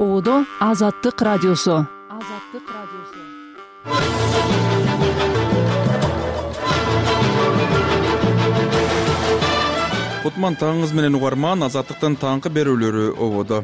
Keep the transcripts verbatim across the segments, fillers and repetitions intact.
Ободо Азаттык радиосу. Азаттык радиосу. Кутман таңыңыз менен угарман. Азаттыктын таңкы берүүлөрү ободо.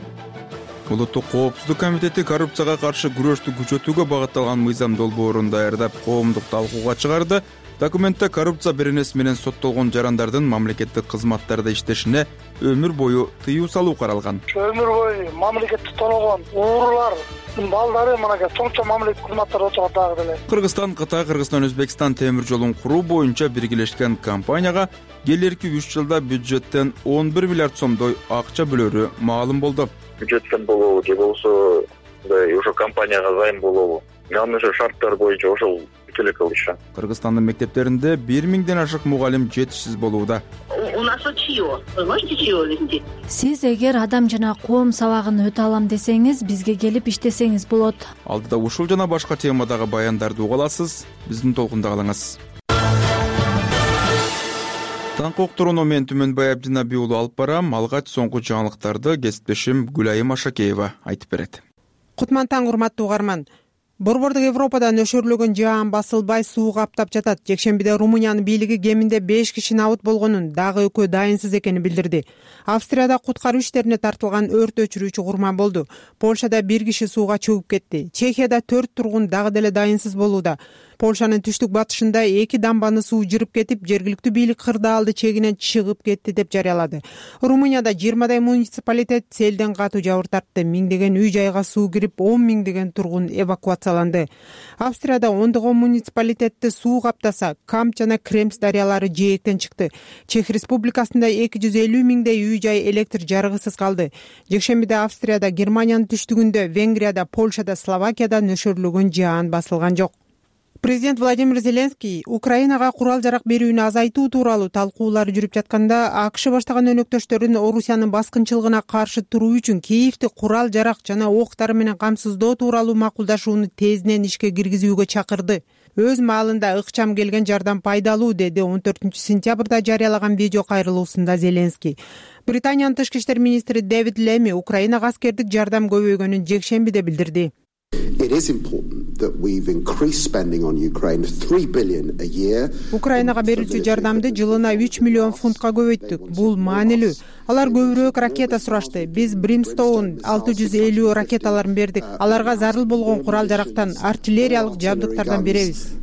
Улуттук коопсуздук комитети коррупцияга каршы күрөштү күчөтүүгө багытталган мыйзам долбоорун даярдап, коомдук талкууга чыгарды. Документте коррупция беренеси менен соттолгон жарандардын мамлекеттик кызматтарда иштешине өмүр бою тыюу салуу каралган. Өмүр бою мамлекетти тоологон уурулардын балдары мынакей чоңчо мамлекеттик кызматтарда отурат дагы деле. Кыргызстан, Кытай, Кыргызстан, Өзбекстан темир жолун куруу боюнча биргелешкен компанияга келерки үч жылда бюджеттен он бир миллиард сомдой акча бөлөрү маалым болду. Бюджеттен болобу же болбосо ошо компанияга займ болобу, анын ошо шарттар боюнча ошол эле кылышы. Кыргызстандын мектептеринде бир миңден ашык мугалим жетишсиз болууда. У нас учио, можете чио линди. Сиз эгер адам жана коом сабагын өтө алам десеңиз, бизге келип иштесеңиз болот. Алдыда ушул жана башка темадагы баяндарды уга аласыз. Биздин толкунда калыңыз. Таңкы уктурууну мен Түмөнбай Абдинаби уулу алып барам. Алгач соңку жаңылыктарды кесиптешим Гүлайым Ашакеева айтып берет. Кутман таң, урматтуу угарман. Борбордук Европада нөшөрлөгөн жаан басылбай суу каптап жатат. Жекшембиде Румыниянын бийлиги кеминде беш киши набыт болгонун, дагы экөө дайынсыз экенин билдирди. Австрияда куткаруу иштерине тартылган өрт өчүрүүчү курман болду. Польшада бир киши сууга чөгүп кетти. Чехияда төрт тургун дагы деле дайынсыз болууда. Польшанын түштүк батышында эки дамбаны суу жырып кетип, жергиликтүү бийлик кырдаалды чегинен чыгып кетти деп жарыялады. Румынияда жыйырмадай муниципалитет селден катуу жабыр тартты. Миңдеген үй жайга суу кирип, он миңдеген тургун эвакуацияланды. Австрияда ондогон муниципалитетти суу каптаса, Камп жана Кремс дарыялары жээктен чыкты. Чех Республикасында эки жүз элүү миңдей үй жай электр жарыгысыз калды. Жекшембиде Австрияда, Германиянын түштүгүндө, Венгрияда, Польшада, Словакияда нөшөрлөгөн жаан басылган жок. Президент Владимир Зеленский Украинага курал жарак берүүнү азайтуу тууралуу талкуулар жүрүп жатканда, АКШ баштаган өнөктөштөрүн Орусиянын баскынчылыгына каршы туруу үчүн Киевти курал жарак жана октар менен камсыздоо тууралуу макулдашууну тезден ишке киргизүүгө чакырды. Өз маалында ыкчам келген жардам пайдалуу, деди он төртүнчү сентябрда жарыялаган видео кайрылуусунда Зеленский. Британиянын тышкы иштер министри Дэвид Леми Украинага аскердик жардам көбөйгөнүн жекшембиде билдирди. Украинага берүүчү жардамды жылына үч миллион фунтка көбөйттүк. Бул маанилүү. Алар көбүрөөк ракета сурашты. Биз Brimstone алты жүз элүү ракеталарын бердик. Аларга зарыл болгон курал жарактан, артиллериялык жабдыктардан беребиз.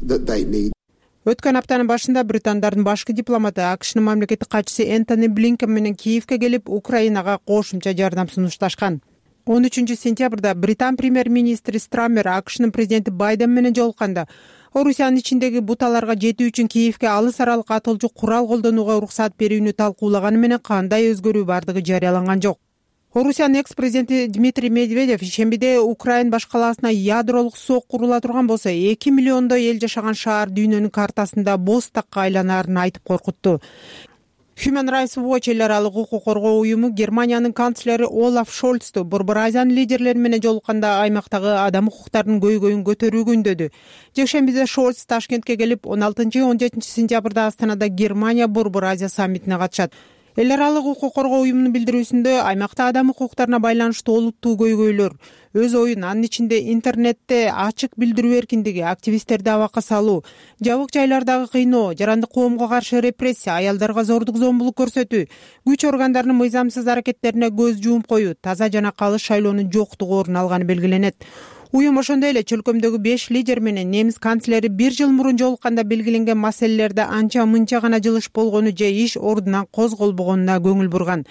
Өткөн аптанын башында британдардын башкы дипломаты АКШнын мамлекеттик катчысы Энтони Блинкен менен Киевке келип, Украинага кошумча жардам сунушташкан. он үчүнчү сентябрда Британ премьер-министри Страммер АКШнын президенти Байден менен жолукканда, Орусиянын ичиндеги буталарга жетүү үчүн Киевке алыс аралык атылчу курал колдонууга уруксат берүүнү талкуулаганы менен кандай өзгөрүү бардыгы жарыяланган жок. Орусиянын экс-президенти Дмитрий Медведев ишембиде Украин баш калаасына ядролук сок курула турган болсо, эки миллиондой эл жашаган шаар дүйнөнүн картасында боз такка айланаарын айтып коркутту. Human Rights Watch эл аралык укук коргоо уюму Германиянын канцлери Олаф Шольцту Борбор Азиянын лидерлери менен жолукканда аймактагы адам укуктарынын көйгөйүн көтөрүүгө үндөдү. Жекшембиде Шольц Ташкентке келип, он алтынчы он жетинчи сентябрда Астанада Германия Борбор Азия саммитине катышат. Эл аралык укук коргоо уюмунун билдирүүсүндө, аймакта адам укуктарына байланыштуу олуттуу көйгөйлөр, өз оюн, анын ичинде интернетте ачык билдирүү эркиндиги, активисттерди абакка салуу, жабык жайлардагы кыйноо, жарандык коомго каршы репрессия, аялдарга зордук зомбулук көрсөтүү, күч органдарынын мыйзамсыз аракеттерине көз жумуп коюу, таза жана калыс шайлоонун жоктугу орун алганы белгиленет. Уюм ошондой эле чөлкөмдөгү беш лидер менен немис канцлери бир жыл мурун жолукканда белгиленген маселелерде анча мынча гана жылыш болгону же иш ордунан козголбогонуна көңүл бурган.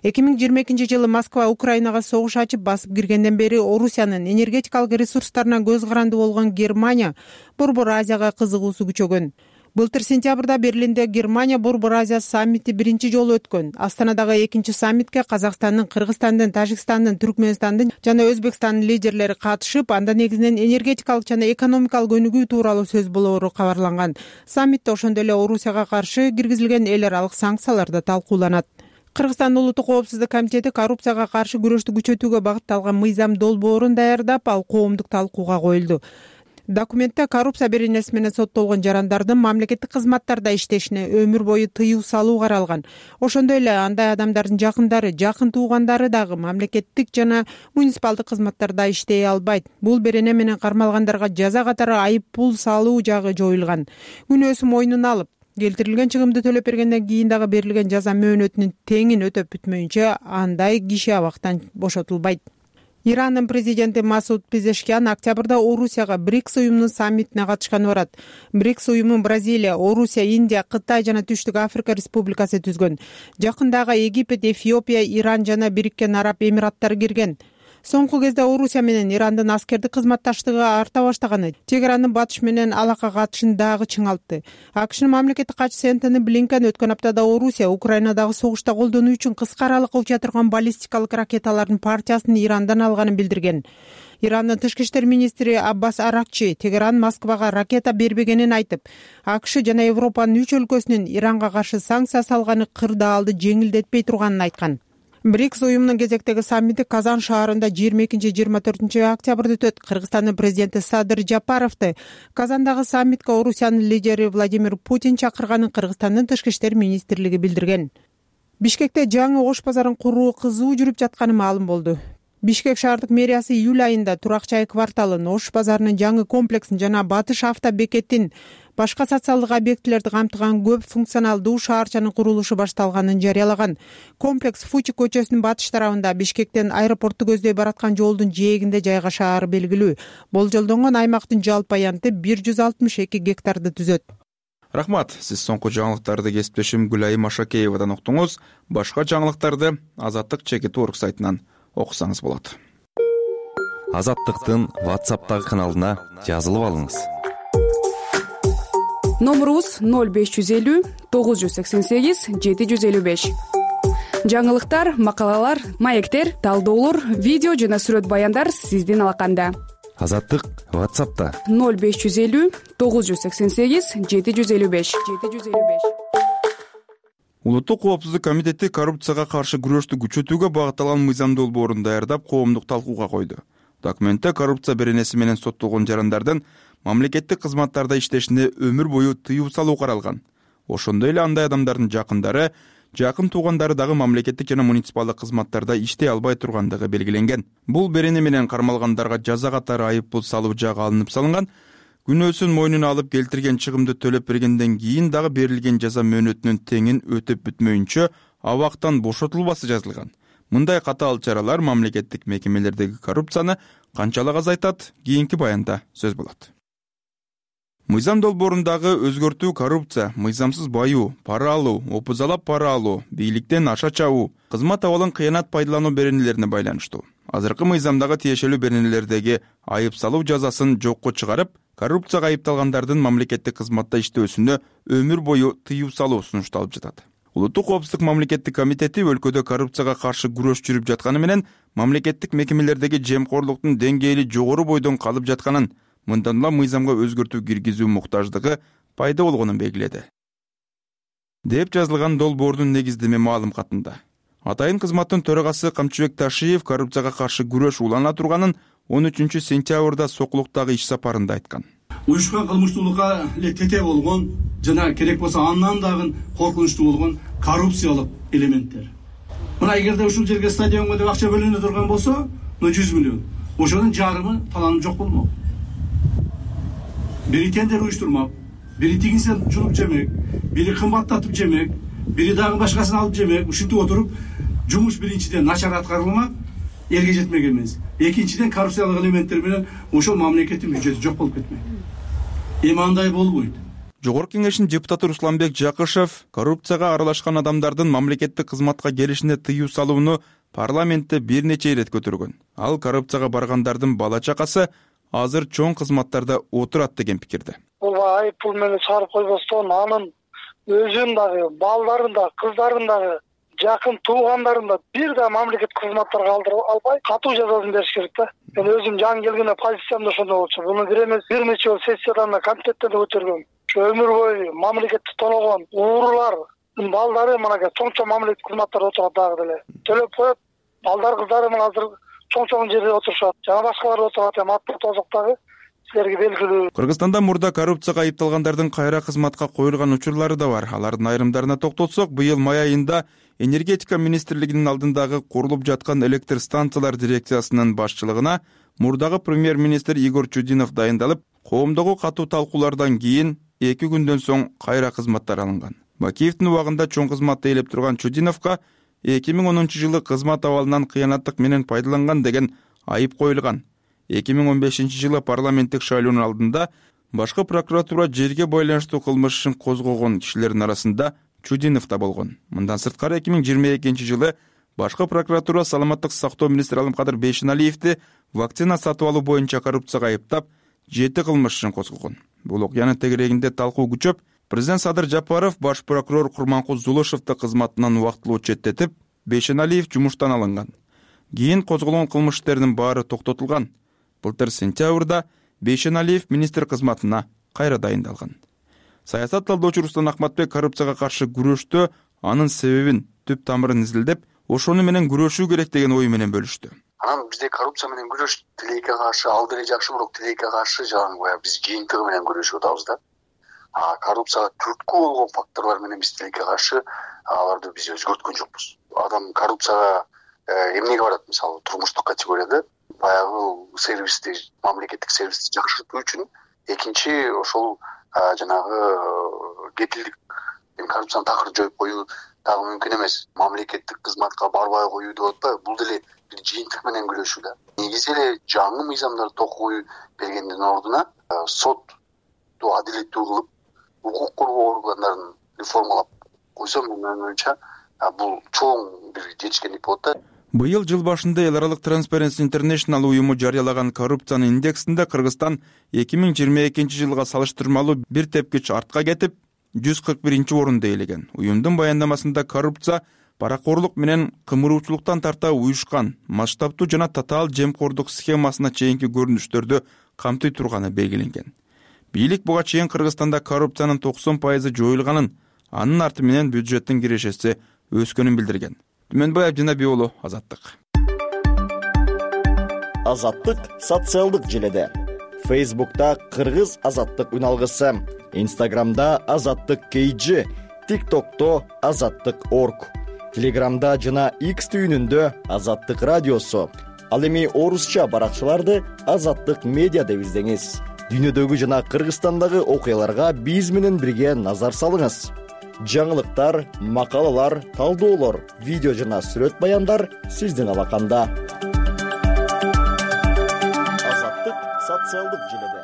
эки миң жыйырма экинчи жылы Москва Украинага согуш ачып басып киргенден бери Орусиянын энергетикалык ресурстарына көз каранды болгон Германия Борбор Азияга кызыгуусу күчөгөн. Былтыр сентябрда Берлинде Германия Борбор Азия саммити биринчи жолу өткөн. Астанадагы экинчи саммитке Казакстандын, Кыргызстандын, Тажикстандын, Түркмөнстандын жана Өзбекстандын лидерлери катышып, анда негизинен энергетикалык жана экономикалык өнүгүү тууралуу сөз болоору кабарланган. Саммитте ошондой эле Орусияга каршы киргизилген эл аралык санкциялар да талкууланат. Кыргызстандын улуттук коопсуздук комитети коррупцияга каршы күрөштү күчөтүүгө багытталган мыйзам долбоорун даярдап, ал коомдук талкууга коюлду. Документте коррупция беренеси менен соттолгон жарандардын мамлекеттик кызматтарда иштешине өмүр бою тыюу салуу каралган. Ошондой эле андай адамдардын жакындары, жакын туугандары дагы мамлекеттик жана муниципалдык кызматтарда иштей албайт. Бул берене менен кармалгандарга жаза катары айып пул салуу жагы жоюлган. Күнөөсүн мойнуна алып, келтирилген чыгымды төлөп бергенден кийин дагы берилген жаза мөөнөтүнүн теңин өтөп бүтмөйүнчө андай киши абактан бошотулбайт. Ирандын президенти Масуд Пезешкиан октябрда Орусияга БРИКС уюмунун саммитине катышканы барат. БРИКС уюмун Бразилия, Орусия, Индия, Кытай жана Түштүк Африка республикасы түзгөн. Жакындагы Египет, Эфиопия, Иран жана Бириккен Араб Эмираттары кирген. Соңку кезде Орусия менен Ирандын аскердик кызматташтыгы арта баштаганы чек-аранын батыш менен алака катышын дагы чыңалтты. АКШнын мамлекеттик катчысы Энтони Блинкен өткөн аптада Орусия Украинадагы согушта колдонуу үчүн кыска аралыкка уча турган баллистикалык ракеталардын партиясын Ирандан алганын билдирген. Ирандын тышкы иштер министри Аббас Аракчи Тегеран Москвага ракета бербегенин айтып, АКШ жана Европанын үч өлкөсүнүн Иранга каршы санкция салганы кырдаалды жеңилдетпей турганын айткан. БРИКС уюмунун кезектеги саммити Казан шаарында жыйырма экинчи жыйырма төртүнчү октябрда өтөт. Кыргызстандын президенти Садыр Жапаровду Казандагы саммитке Орусиянын лидери Владимир Путин чакырганын Кыргызстандын тышкы иштер министрлиги билдирген. Бишкекте жаңы Ош базарын куруу кызуу жүрүп жатканы маалым болду. Бишкек шаардык мэриясы июль айында Турак-чай кварталын, Ош базарынын жаңы комплексин жана Батыш авто бекетин, башка социалдык объектилерди камтыган көп функционалдуу шаарчанын курулушу башталганын жарыялаган. Комплекс Фучи көчөсүнүн батыш тарабында Бишкектен аэропортту көздөй бараткан жолдун жээгинде жайгашаары белгилүү. Болжолдонгон аймактын жалпы аянты бир жүз алтымыш эки гектарды түзөт. Рахмат, сиз соңку жаңылыктарды кесиптешим Гүлайым Ашакеевадан уктуңуз. Башка жаңылыктарды Азаттык чекит орг сайтынан окусаңыз болот. Азаттыктын WhatsApp'тагы каналына жазылып алыңыз. Номерубуз ноль беш жүз элүү тогуз жүз сексен сегиз жети жүз элүү беш. Жаңылыктар, макалалар, маектер, талдоолор, видео жана сүрөт баяндар сиздин алаканда. Азаттык WhatsApp'та ноль беш жүз элүү тогуз жүз сексен сегиз жети жүз элүү беш. Улуттук коопсуздук комитети коррупцияга каршы күрөштү күчөтүүгө багытталган мыйзам долбоорун даярдап, коомдук талкууга койду. Документте коррупция беренеси менен соттолгон жарандардын мамлекеттик кызматтарда иштешине өмүр бою тыюу салуу каралган. Ошондой эле андай адамдардын жакындары, жакын туугандары дагы мамлекеттик жана муниципалдык кызматтарда иштей албай тургандыгы белгиленген. Бул берене менен кармалгандарга жаза катары айып пул салуу жагы алынып салынган. Күнөөсүн мойнуна алып келтирген чыгымды төлөп бергенден кийин дагы берилген жаза мөөнөтүнүн теңин өтөп бүтмөйүнчө абактан бошотулбасы жазылган. Мындай катаал чаралар мамлекеттик мекемелердеги коррупцияны канчалык азайтат? Кийинки баянда сөз болот. Мыйзам долбоорундагы өзгөртүү коррупция, мыйзамсыз баюу, пара алуу, опузалап пара алуу, бийликтен аша чабуу, кызмат абалын кыянат пайдалануу беренелерине байланыштуу. Азыркы мыйзамдагы тиешелүү беренелердеги айып салуу жазасын жокко чыгарып, коррупцияга айыпталгандардын мамлекеттик кызматта иштөөсүнө өмүр бою тыюу салуу сунушталып жатат. Улуттук коопсуздук мамлекеттик комитети өлкөдө коррупцияга каршы күрөш жүрүп жатканы менен мамлекеттик мекемелердеги жемкорлуктун деңгээли жогору бойдон калып жатканын, мындан улам мыйзамга өзгөртүү киргизүү муктаждыгы пайда болгонун белгиледи, деп жазылган долбоордун негиздеме маалым катында. Атайын кызматтын төрагасы Камчыбек Ташиев коррупцияга каршы күрөш улана турганын он үчүнчү сентябрда Сокулуктагы иш сапарында айткан. Уюшкан кылмыштуулукка эле тете болгон жана керек болсо андан дагы коркунучтуу болгон коррупциялык элементтер. Мына эгерде ушул жерге стадионго деп акча бөлүнө турган болсо, жүз миллион. Ошонун жарымы таланып жок болмок. Бири тендер уюштурмак, бири тигинсен жулуп жемек, бири кымбаттатып жемек, бири дагы башкасын алып жемек. Ушинтип отуруп, жумуш биринчиден начар аткарылмак, элге жетмек эмес. Экинчиден коррупциялык элементтер менен ошол мамлекеттин бюджети жок болуп кетмек. Эми андай болбойт. Жогорку кеңештин депутаты Русланбек Жакышев коррупцияга аралашкан адамдардын мамлекеттик кызматка келишине тыюу салууну парламентте бир нече ирет көтөргөн. Ал коррупцияга баргандардын бала чакасы азыр чоң кызматтарда отурат деген пикирде. Бул айып пул менен чыгарып койбостон анын өзүн дагы, балдарын да, кыздарын дагы, жакын туугандарын да бир да мамлекет кызматтарга алдырып албай, катуу жазасын бериш керек да. Мен өзүм жан келгенде позициямда ошондой болчу. Буну бир эмес, бир нече жолу сессиядан да комитеттен да көтөргөм. Өмүр бою мамлекетти тоногон уурулардын балдары мынакей чоң-чоң мамлекеттик кызматтарда отурат дагы деле. Төлөп коюп, балдар кыздары мына азыр чоң-чоң жерде отурушат. Жана башкалар отурат, эми аттуу тозоктогу силерге белгилүү. Кыргызстанда мурда коррупцияга айыпталгандардын кайра кызматка коюлган учурлары да бар. Алардын айрымдарына токтолсок, быйыл май айында энергетика министрлигинин алдындагы курулуп жаткан электр станциялар дирекциясынын башчылыгына мурдагы премьер-министр Игорь Чудинов дайындалып, коомдогу катуу талкуулардан кийин эки күндөн соң кайра кызматтар алынган. Бакиевдин убагында чоң кызматты ээлеп турган Чудиновго эки миң онунчу жылы кызмат абалынан кыянаттык менен пайдаланган деген айып коюлган. эки миң он бешинчи жылы парламенттик шайлоонун алдында башкы прокуратура жерге байланыштуу кылмыш ишин козгогон кишилердин арасында Чудинов да болгон. Мындан сырткары эки миң жыйырма экинчи жылы башкы прокуратура саламаттык сактоо министри Алымкадыр Бейшеналиевди вакцина сатып алуу боюнча коррупцияга айыптап, жети кылмыш ишин козгогон. Бул окуянын тегерегинде талкуу күчөп, президент Садыр Жапаров баш прокурор Курманкул Зулушевди кызматынан убактылуу четтетип, Бейшеналиев жумуштан алынган. Кийин козголгон кылмыш иштеринин баары токтотулган. Былтыр сентябрда Бейшеналиев министр кызматына кайра дайындалган. Саясат талдоочу Рустам Акматбек коррупцияга каршы күрөштө анын себебин, түп тамырын изилдеп, ошону менен күрөшүү керек деген ой менен бөлүштү. Анан бизде коррупция менен күрөш тилекке каршы ал деле жакшы, бирок тилекке каршы жанагы биз жыйынтыгы менен күрөшүп атабыз да. А коррупцияга түрткү болгон факторлор менен биз тилекке каршы аларды биз өзгөрткөн жокпуз. Адам коррупцияга эмнеге барат? Мисалы, турмуштук категорияда баягы сервисти, мамлекеттик сервисти жакшыртуу үчүн, экинчи ошол жанагы кепилдик, коррупцияны такыр жоюп коюу дагы мүмкүн эмес. Мамлекеттик кызматка барбай коюу деп атпайбы? Бул деле бир жыйынтык менен күрөшүү да. Негизи эле жаңы мыйзамдарды токой бергендин ордуна сотту адилеттүү кылып, укук коргоо органдарын реформалап койсо, менин оюмча, бул чоң бир жетишкендик болот да. Быйыл жыл башында эл аралык Transparency International уюму жарыялаган коррупциянын индексинде Кыргызстан эки миң жыйырма экинчи жылга салыштырмалуу бир тепкич артка кетип, жүз кырк биринчи орунду ээлеген. Уюмдун баяндамасында коррупция паракорлук менен кымыруучулуктан тарта уюшкан, масштабтуу жана татаал жемкордук схемасына чейинки көрүнүштөрдү камтый турганы белгиленген. Бийлик буга чейин Кыргызстанда коррупциянын токсон пайызы жоюлганын, анын арты менен бюджеттин кирешеси өскөнүн билдирген. Түмөнбай Абдинаби уулу, Азаттык. Азаттык социалдык желеде. Фейсбукта Кыргыз Азаттык үналгысы, Инстаграмда Азаттык кей джи, ТикТокто Азаттык точка орг, Телеграмда жана X түйүнүндө Азаттык радиосу. Ал эми орусча баракчаларды Азаттык медиа деп издеңиз. Дүйнөдөгү жана Кыргызстандагы окуяларга биз менен бирге назар салыңыз. Жаңылыктар, макалалар, талдоолор, видео жана сүрөт баяндар сиздин алаканда. Азаттык социалдык желеде.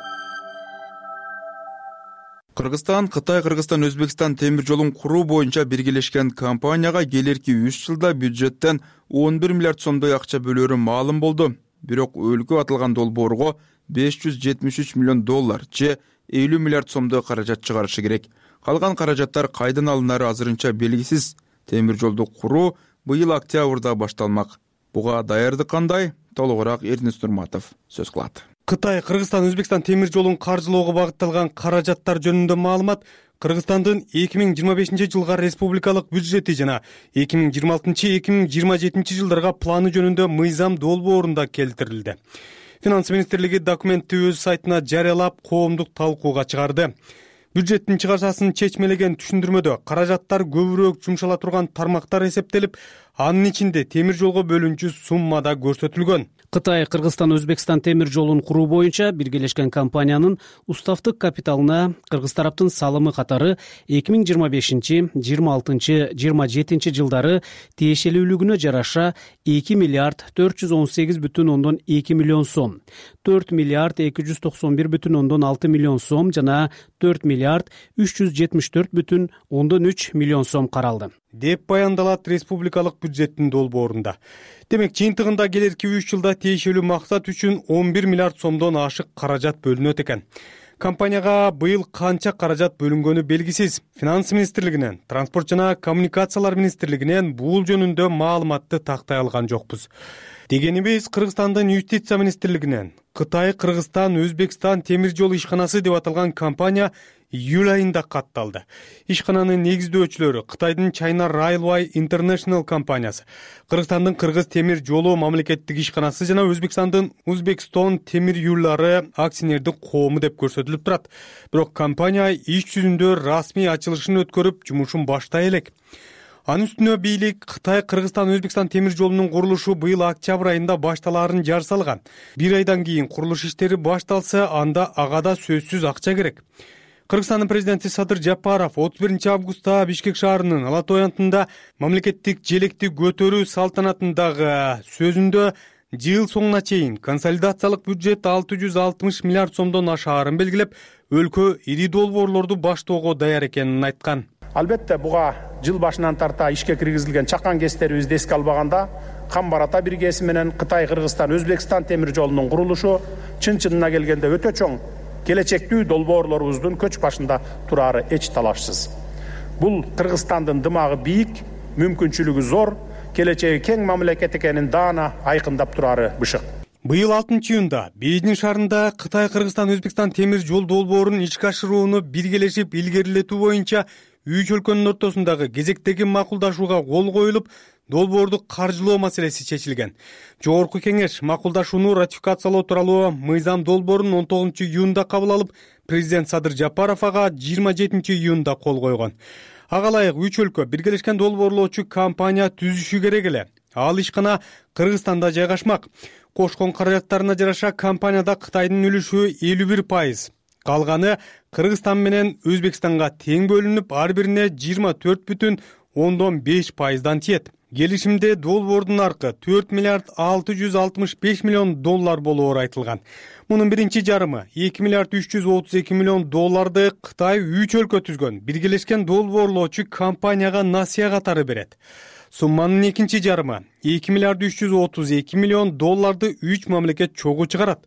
Кыргызстан, Кытай, Кыргызстан, Өзбекстан темир жолун куруу боюнча биргелешкен компанияга келерки үч жылда бюджеттен он бир миллиард сомдой акча бөлөрү маалым болду. Бирок өлкө атылган долбоорго беш жүз жетимиш үч миллион доллар же элүү миллиард сомдой каражат чыгарышы керек. Калган каражаттар кайдан алынары азырынча белгисиз. Темир жолду куруу быйыл октябрда башталмак. Буга даярдык кандай? Толугураак Эрнис Нурматов сөз кылат. Кытай, Кыргызстан, Өзбекстан темир жолун каржылоого багытталган каражаттар жөнүндө маалымат Кыргызстандын эки миң жыйырма бешинчи жылга республикалык бюджети жана эки миң жыйырма алтынчы эки миң жыйырма жетинчи жылдарга планы жөнүндө мыйзам долбоорунда келтирилди. Финанс министрлиги документти өз сайтына жарыялап, коомдук талкууга чыгарды. Бюджеттин чыгашасын чечмелеген түшүндүрмөдө каражаттар көбүрөөк жумшала турган тармактар эсептелип, анын ичинде темир жолго бөлүнчү сумма да көрсөтүлгөн. Кытай, Кыргызстан, Өзбекстан темир жолун куруу боюнча биргелешкен компаниянын уставтык капиталына кыргыз тараптын салымы катары эки миң жыйырма бешинчи, жыйырма алтынчы, жыйырма жетинчи жылдары тиешелүүлүгүнө жараша эки миллиард төрт жүз он сегиз бүтүн ондон эки миллион сом, төрт миллиард эки жүз токсон бир бүтүн ондон алты миллион сом жана төрт миллиард үч жүз жетимиш төрт бүтүн ондон үч миллион сом каралды деп баяндалат республикалык бюджеттин долбоорунда. Демек, жыйынтыгында келерки үч жылда тиешелүү максат үчүн он бир миллиард сомдон ашык каражат бөлүнөт экен. Компанияга быйыл канча каражат бөлүнгөнү белгисиз. Финанс министрлигинен, Транспорт жана коммуникациялар министрлигинен бул жөнүндө маалыматты тактай алган жокпуз. Дегенибиз, Кыргызстандын юстиция министрлигинен Кытай, Кыргызстан, Өзбекстан темир жол ишканасы деп аталган компания июль айында катталды. Ишкананын негиздөөчүлөрү Кытайдын China Railway International компаниясы, Кыргызстандын Кыргыз темир жолу мамлекеттик ишканасы жана Өзбекстандын Uzbekistan темир юллары акционердик коому деп көрсөтүлүп турат. Бирок компания иш жүзүндө расмий ачылышын өткөрүп, жумушун баштай элек. Анын үстүнө бийлик Кытай, Кыргызстан, Өзбекстан темир жолунун курулушу быйыл октябрь айында башталаарын жар салган. Бир айдан кийин курулуш иштери башталса, анда ага да сөзсүз акча керек. Кыргызстандын президенти Садыр Жапаров отуз биринчи августта Бишкек шаарынын Ала той антында мамлекеттик желекти көтөрүү салтанатындагы сөзүндө жыл соңуна чейин консолидациялык бюджет алты жүз алтымыш миллиард сомдон ашаарын белгилеп, өлкө ири долбоорлорду баштоого даяр экенин айткан. Албетте буга жыл башынан тарта ишке киргизилген чакан кестерибизди эске албаганда Кам Барата биргеси менен Кытай, Кыргызстан, Өзбекстан темир жолунун курулушу чын чынына келгенде өтө чоң келечектүү долбоорлорубуздун көч башында турары эч талашсыз. Бул Кыргызстандын дымагы бийик, мүмкүнчүлүгү зор, келечеги кең мамлекет экенин даана айкындап турары бышык. Быйыл алтынчы июнда Бейжин шаарында Кытай, Кыргызстан, Өзбекстан темир жол долбоорун ишке ашырууну биргелешип илгерилетүү боюнча үч өлкөнүн ортосундагы кезектеги макулдашууга кол коюлуп, долбоорду каржылоо маселеси чечилген. Жогорку кеңеш макулдашууну ратификациялоо тууралуу мыйзам долбоорун он тогузунчу июнда кабыл алып, президент Садыр Жапаров ага жыйырма жетинчи июнда кол койгон. Ага ылайык үч өлкө биргелешкен долбоорлоочу компания түзүшү керек эле. Ал ишкана Кыргызстанда жайгашмак. Кошкон каражаттарына жараша компанияда Кытайдын үлүшү элүү бир пайыз. Калганы Кыргызстан менен Өзбекстанга тең бөлүнүп, ар бирине жыйырма төрт бүтүн ондон беш пайыздан тиет. Келишимде долбоордун наркы төрт миллиард алты жүз алтымыш беш миллион доллар болоору айтылган. Мунун биринчи жарымы эки миллиард үч жүз отуз эки миллион долларды Кытай үч өлкө түзгөн биргелешкен долбоорлоочу компанияга насыя катары берет. Сумманын экинчи жарымы эки миллиард үч жүз отуз эки миллион долларды үч мамлекет чогуу чыгарат.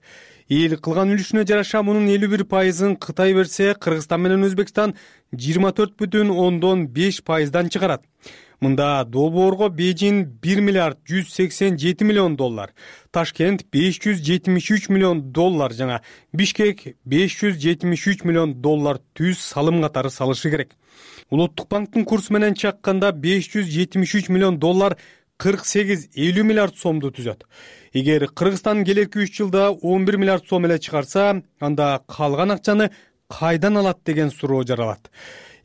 Эл кылган үлүшүнө жараша мунун элүү бир пайызын Кытай берсе, Кыргызстан менен Өзбекстан жыйырма төрт бүтүн ондон беш пайыздан чыгарат. Мында долбоорго Бейжин бир миллиард жүз сексен жети миллион доллар, Ташкент беш жүз жетимиш үч миллион доллар жана Бишкек беш жүз жетимиш үч миллион доллар түз салым катары салышы керек. Улуттук банктын курсу менен чакканда беш жүз жетимиш үч миллион доллар кырк сегиз элүү миллиард сомду түзөт. Эгер Кыргызстан келерки үч жылда он бир миллиард сом эле чыгарса, анда калган акчаны кайдан алат деген суроо жаралат.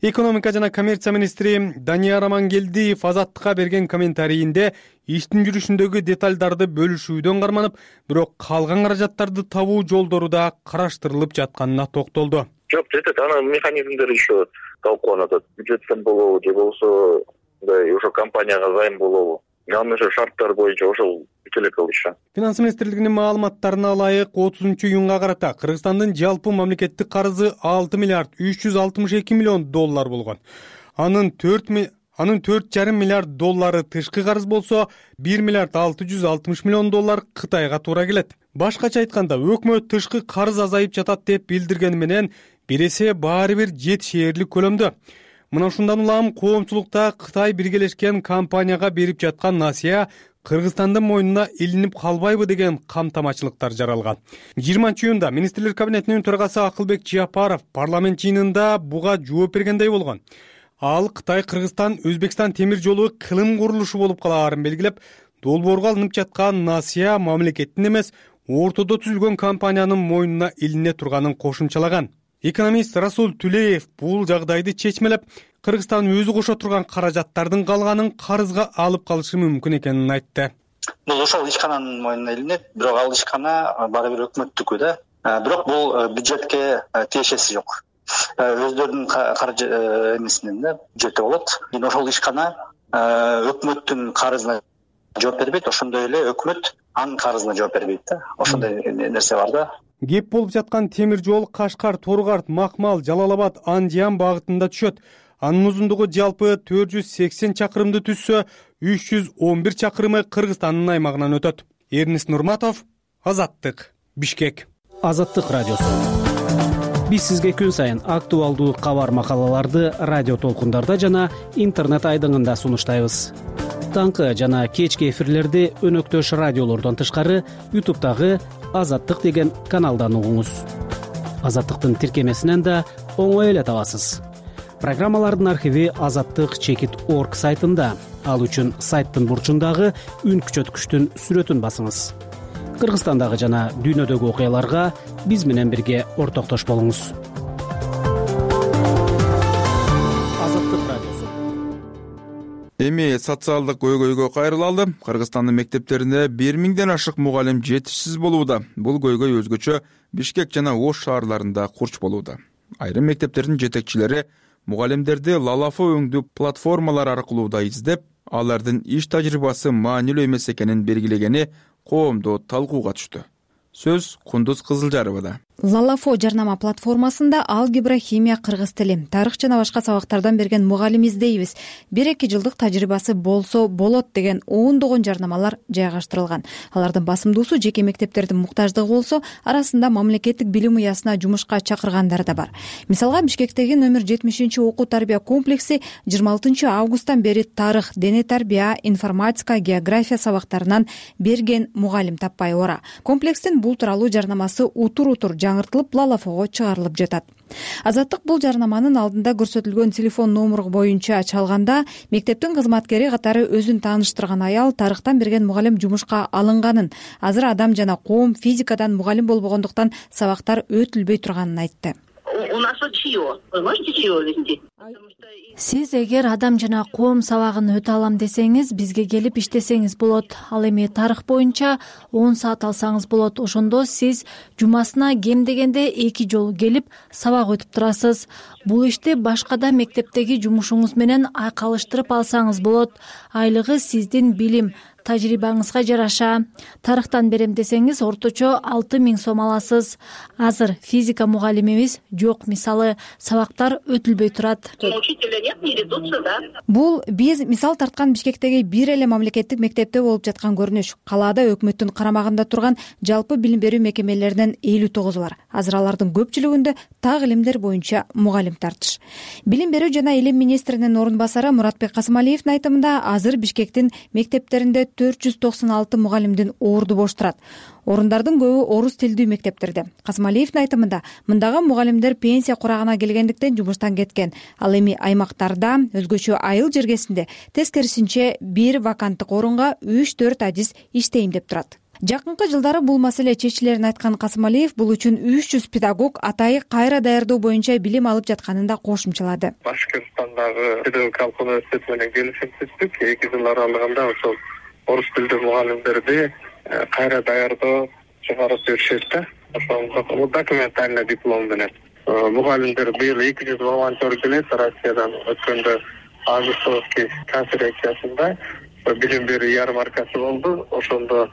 Экономика жана коммерция министри Данияр Амангелдиев Азаттыкка берген комментарийинде иштин жүрүшүндөгү деталдарды бөлүшүүдөн карманып, бирок калган каражаттарды табуу жолдору да караштырылып жатканына токтолду. Жок, жетет, анын механизмдери еще талкууланат. Бюджеттен болобу же болбосо ошо компанияга займ болобу. Анын ошо шарттары боюнча ошол бүт эле кылышы. Финанс министрлигинин маалыматтарына ылайык отузунчу июнга карата Кыргызстандын жалпы мамлекеттик карызы алты миллиард үч жүз алтымыш эки миллион доллар болгон. Анын төрт анын төрт жарым миллиард доллары тышкы карыз болсо, бир миллиард алты жүз алтымыш миллион доллар Кытайга туура келет. Башкача айтканда, өкмөт тышкы карыз азайып жатат деп билдиргени менен, бир эсе баары бир жетишээрлик көлөмдө. Мына ушундан улам коомчулукта Кытай биргелешкен компанияга берип жаткан насыя Кыргызстандын мойнуна илинип калбайбы деген камтамачылыктар жаралган. жыйырманчы июнда министрлер кабинетинин төрагасы Акылбек Жапаров парламент жыйынында буга жооп бергендей болгон. Ал Кытай, Кыргызстан, Өзбекстан темир жолу кылым курулушу болуп калаарын белгилеп, долбоорго алынып жаткан насыя мамлекеттин эмес, ортодо түзүлгөн компаниянын мойнуна илине турганын кошумчалаган. Экономист Расул Түлеев бул жагдайды чечмелеп, Кыргызстан өзү кошо турган каражаттардын калганын карызга алып калышы мүмкүн экенин айтты. Бул ошол ишкананын мойнуна илинет, бирок ал ишкана баары бир өкмөттүкү да. Бирок бул бюджетке тиешеси жок. Өздөрүнүн каржы эмесинен да бюджети болот. Эми ошол ишкана өкмөттүн карызына жооп бербейт, ошондой эле өкмөт анын карызына жооп бербейт да. Ошондой нерсе бар да. Кеп болуп жаткан темир жол Кашкар, Торгарт, Макмал, Жалал-Абад, Андиян багытында түшөт. Анын узундугу жалпы төрт жүз сексен чакырымды түзсө, үч жүз он бир чакырымы Кыргызстандын аймагынан өтөт. Эрнис Нурматов, Азаттык, Бишкек. Азаттык радиосу. Биз сизге күн сайын актуалдуу кабар макалаларды радио толкундарда жана интернет айдыңында сунуштайбыз. Таңкы жана кечки эфирлерди өнөктөш радиолордон тышкары ютубтагы Азаттык деген каналдан угуңуз. Азаттыктын тиркемесинен да оңой эле табасыз. Программалардын архиви азаттык чекит орг сайтында. Ал үчүн сайттын бурчундагы үн күчөткүчтүн сүрөтүн басыңыз. Кыргызстандагы жана дүйнөдөгү окуяларга биз менен бирге ортоктош болуңуз. Азаттык радиосу. Эми социалдык көйгөйгө кайрылалы. Кыргызстандын мектептеринде бир миңден ашык мугалим жетишсиз болууда. Бул көйгөй өзгөчө Бишкек жана Ош шаарларында курч болууда. Айрым мектептердин жетекчилери мугалимдерди лалафа өңдүү платформалар аркылуу да издеп, алардын иш тажрыйбасы маанилүү эмес экенин белгилегени коомдо талкууга түштү. Сөз Кундуз Кызылжаровада. Лалафо жарнама платформасында алгебра, химия, кыргыз тили, тарых жана башка сабактардан берген мугалим издейбиз. бир эки жылдык тажрыйбасы болсо болот деген ондогон жарнамалар жайгаштырылган. Алардын басымдуусу жеке мектептердин муктаждыгы болсо, арасында мамлекеттик билим уясына жумушка чакыргандар да бар. Мисалга, Бишкектеги номер жетимишинчи окуу тарбия комплекси жыйырма алтынчы августтан бери тарых, дене тарбия, информатика, география сабактарынан берген мугалим таппай ора. Комплекстин бул тууралуу жарнамасы утур-утур жаңыртылып лалафого чыгарылып жатат. Азаттык бул жарнаманын алдында көрсөтүлгөн телефон номуру боюнча чалганда мектептин кызматкери катары өзүн тааныштырган аял тарыхтан берген мугалим жумушка алынганын, азыр адам жана коом физикадан мугалим болбогондуктан сабактар өтүлбөй турганын айтты. У нас чье? Вы можете чье вести? Сиз эгер адам жана коом сабагын өтө алам десеңиз, бизге келип иштесеңиз болот. Ал эми тарых боюнча он саат алсаңыз болот. Ошондо сиз жумасына кем дегенде эки жолу келип сабак өтүп турасыз. Бул ишти башкада мектептеги жумушуңуз менен айкалыштырып алсаңыз болот. Айлыгы сиздин билим тажрыйбаңызга жараша. Тарыхтан берем десеңиз, орточо алты миң сом аласыз. Азыр физика мугалимибиз жок, мисалы, сабактар өтүлбөй турат. Бул биз мисал тарткан Бишкектеги бир эле мамлекеттик мектепте болуп жаткан көрүнүш. Калаада өкмөттүн карамагында турган жалпы билим берүү мекемелеринен элүү тогуз бар. Азыр алардын көпчүлүгүндө так илимдер боюнча мугалим тартыш. Билим берүү жана илим министринин орун басары Муратбек Касымалиевдин айтымында, азыр Бишкектин мектептеринде төрт жүз токсон алты мугалимдин орду бош турат. Орундардын көбү орус тилдүү мектептерде. Касымалиевдин айтымында, мындагы мугалимдер пенсия курагына келгендиктен жумуштан кеткен. Ал эми аймактарда өзгөчө айыл жергесинде тескерисинче бир ваканттык орунга үч төрт адис иштейм деп турат. Жакынкы жылдары бул маселе чечилерин айткан Касымалиев бул үчүн үч жүз педагог атайы кайра даярдоо боюнча билим алып жатканын да кошумчалады. Башкырстандагы педагогикалык университет менен келишим түздүк. эки жыл аралыгында ошол орус тилдүү мугалимдерди кайра даярдоо чыгарып беришет да. Ошол документальный диплом менен. Мугалимдер быйыл эки жүз волонтер келет Россиядан. Өткөндө августовский конференциясында билим берүү ярмаркасы болду. Ошондо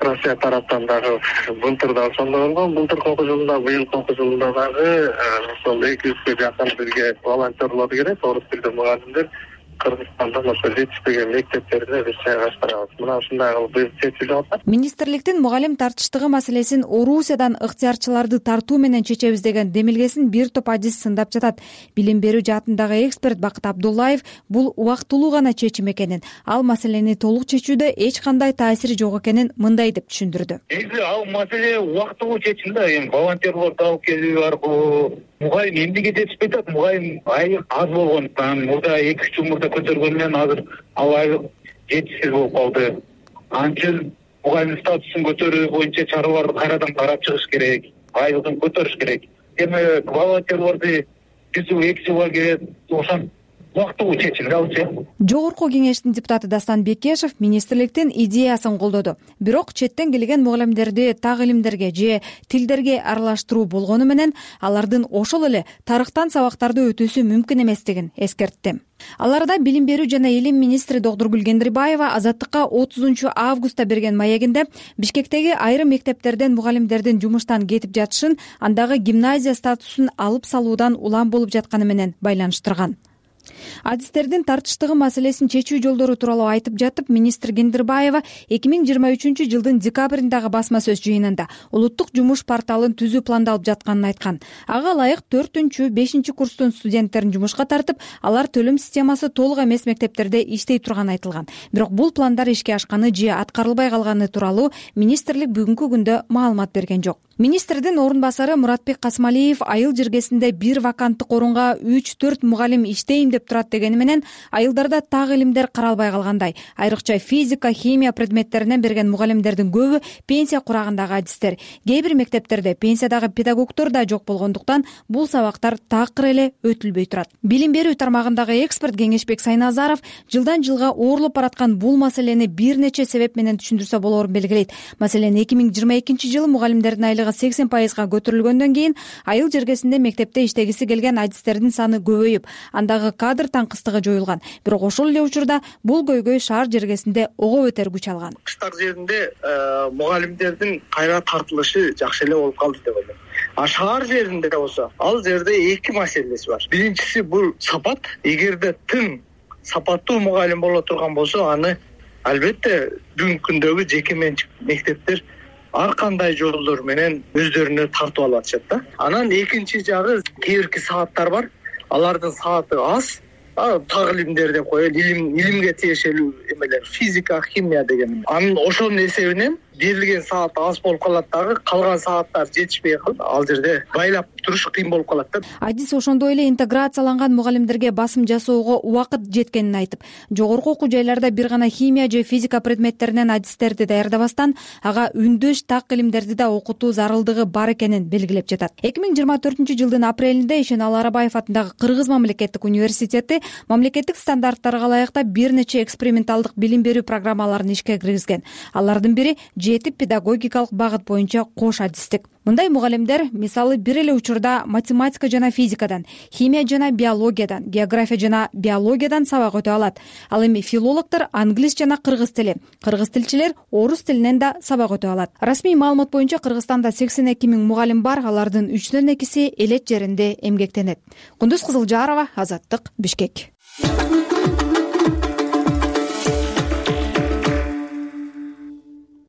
Россия тараптан дагы былтырда ошондо болгон. Былтыркы окуу жылында, быйылкы окуу жылында дагы ошол эки жүзгө жакын бизге волонтерлор келет, орус тилдүү мугалимдер. Кыргызстандын ошо жетишпеген мектептерине биз жайгаштырабыз. Мына ушундай кылып быйыл чечилип атат. Министрликтин мугалим тартыштыгы маселесин Орусиядан ыктыярчыларды тартуу менен чечебиз деген демилгесин бир топ адис сындап жатат. Билим берүү жаатындагы эксперт Бакыт Абдуллаев бул убактылуу гана чечим экенин, ал маселени толук чечүүдө эч кандай таасири жок экенин мындай деп түшүндүрдү. Негизи ал маселе убактылуу чечим да, эми волонтерлорду алып келүү аркылуу мугалим эмнеге жетишпей атат? Мугалим айлык аз болгондуктан, мурда эки үч жыл мурда көтөргөн менен азыр ал айлык жетишсиз болуп калды. Анын үчүн мугалим статусун көтөрүү боюнча чараларды кайрадан карап чыгыш керек, айлыгын көтөрүш керек. Эми волонтерлорду бир жыл эки жылга келет, ошон убактылуу чечим алчы. Жогорку кеңештин депутаты Дастан Бекешев министрликтин идеясын колдоду. Бирок четтен келген мугалимдерди так илимдерге же тилдерге аралаштыруу болгону менен алардын ошол эле тарыхтан сабактарды өтүүсү мүмкүн эместигин эскертти. Аларда билим берүү жана илим министри Докторгүл Кендирбаева Азаттыкка отузунчу августта берген маегинде Бишкектеги айрым мектептерден мугалимдердин жумуштан кетип жатышын, андагы гимназия статусун алып салуудан улам болуп жатканы менен байланыштырган. адистердин тартыштыгы маселесин чечүү жолдору тууралуу айтып жатып, министр Кендирбаева эки миң жыйырма үчүнчү жылдын декабрындагы басма сөз жыйынында улуттук жумуш порталын түзүү пландалып жатканын айткан. Ага ылайык төртүнчү, бешинчи курстун студенттерин жумушка тартып, алар төлөм системасы толук эмес мектептерде иштей турганы айтылган. Бирок бул пландар ишке ашканы же аткарылбай калганы тууралуу министрлик бүгүнкү күндө маалымат берген жок. Министрдин орун басары Муратбек Касмалиев айыл жергесинде бир ваканттык орунга үч төрт мугалим иштейм деп турат дегени менен айылдарда так илимдер каралбай калгандай. Айрыкча физика, химия предметтеринен берген мугалимдердин көбү пенсия курагындагы адистер. Кээ бир мектептерде пенсиядагы педагогдор да жок болгондуктан бул сабактар такыр эле өтүлбөй турат. Билим берүү тармагындагы эксперт Кеңешбек Сайназаров жылдан жылга оорлоп бараткан бул маселени бир нече себеп менен түшүндүрсө болоорун белгилейт. Маселен, эки миң жыйырма экинчи жылы мугалимдердин айлыгы сексен пайызга көтөрүлгөндөн кийин айыл жергесинде мектепте иштегиси келген адистердин саны көбөйүп, андагы кадр таңкыстыгы жоюлган. Бирок ошол эле учурда бул көйгөй шаар жергесинде ого бетер күч алган. Кыштар жеринде мугалимдердин кайра тартылышы жакшы эле болуп калды деп ойлойм. А шаар жеринде болсо, ал жерде эки маселеси бар. Биринчиси бул сапат. Эгерде тың сапаттуу мугалим боло турган болсо, аны албетте бүгүнкү күндөгү жеке менчик мектептер ар кандай жолдор менен өздөрүнө тартып алып атышат да. Анан экинчи жагы, кээ бирки сааттар бар. Алардын сааты аз. Так илимдер деп коелу, илим илимге тиешелүү эмелер, физика, химия деген. Анын ошонун эсебинен берилген саат аз болуп калат дагы, калган сааттар жетишпей калып, ал жерде байлап туруш кыйын болуп калат да. Адис ошондой эле интеграцияланган мугалимдерге басым жасоого убакыт жеткенин айтып, жогорку окуу жайларда бир гана химия же физика предметтеринен адистерди даярдабастан, ага үндөш так илимдерди да окутуу зарылдыгы бар экенин белгилеп жатат. эки миң жыйырма төртүнчү жылдын апрелинде Ишеналы Арабаев атындагы Кыргыз мамлекеттик университети мамлекеттик стандарттарга ылайыктап бир нече эксперименталдык билим берүү программаларын ишке киргизген. Алардын бири жети педагогикалык багыт боюнча кош адистик. Мындай мугалимдер, мисалы, бир эле учурда математика жана физикадан, химия жана биологиядан, география жана биологиядан сабак өтө алат. Ал эми филологдор англис жана кыргыз тили, кыргыз тилчилер орус тилинен да сабак өтө алат. Расмий маалымат боюнча Кыргызстанда сексен эки миң мугалим бар, алардын үчтөн экиси элет жеринде эмгектенет. Кундуз Кызылжарова, Азаттык, Бишкек.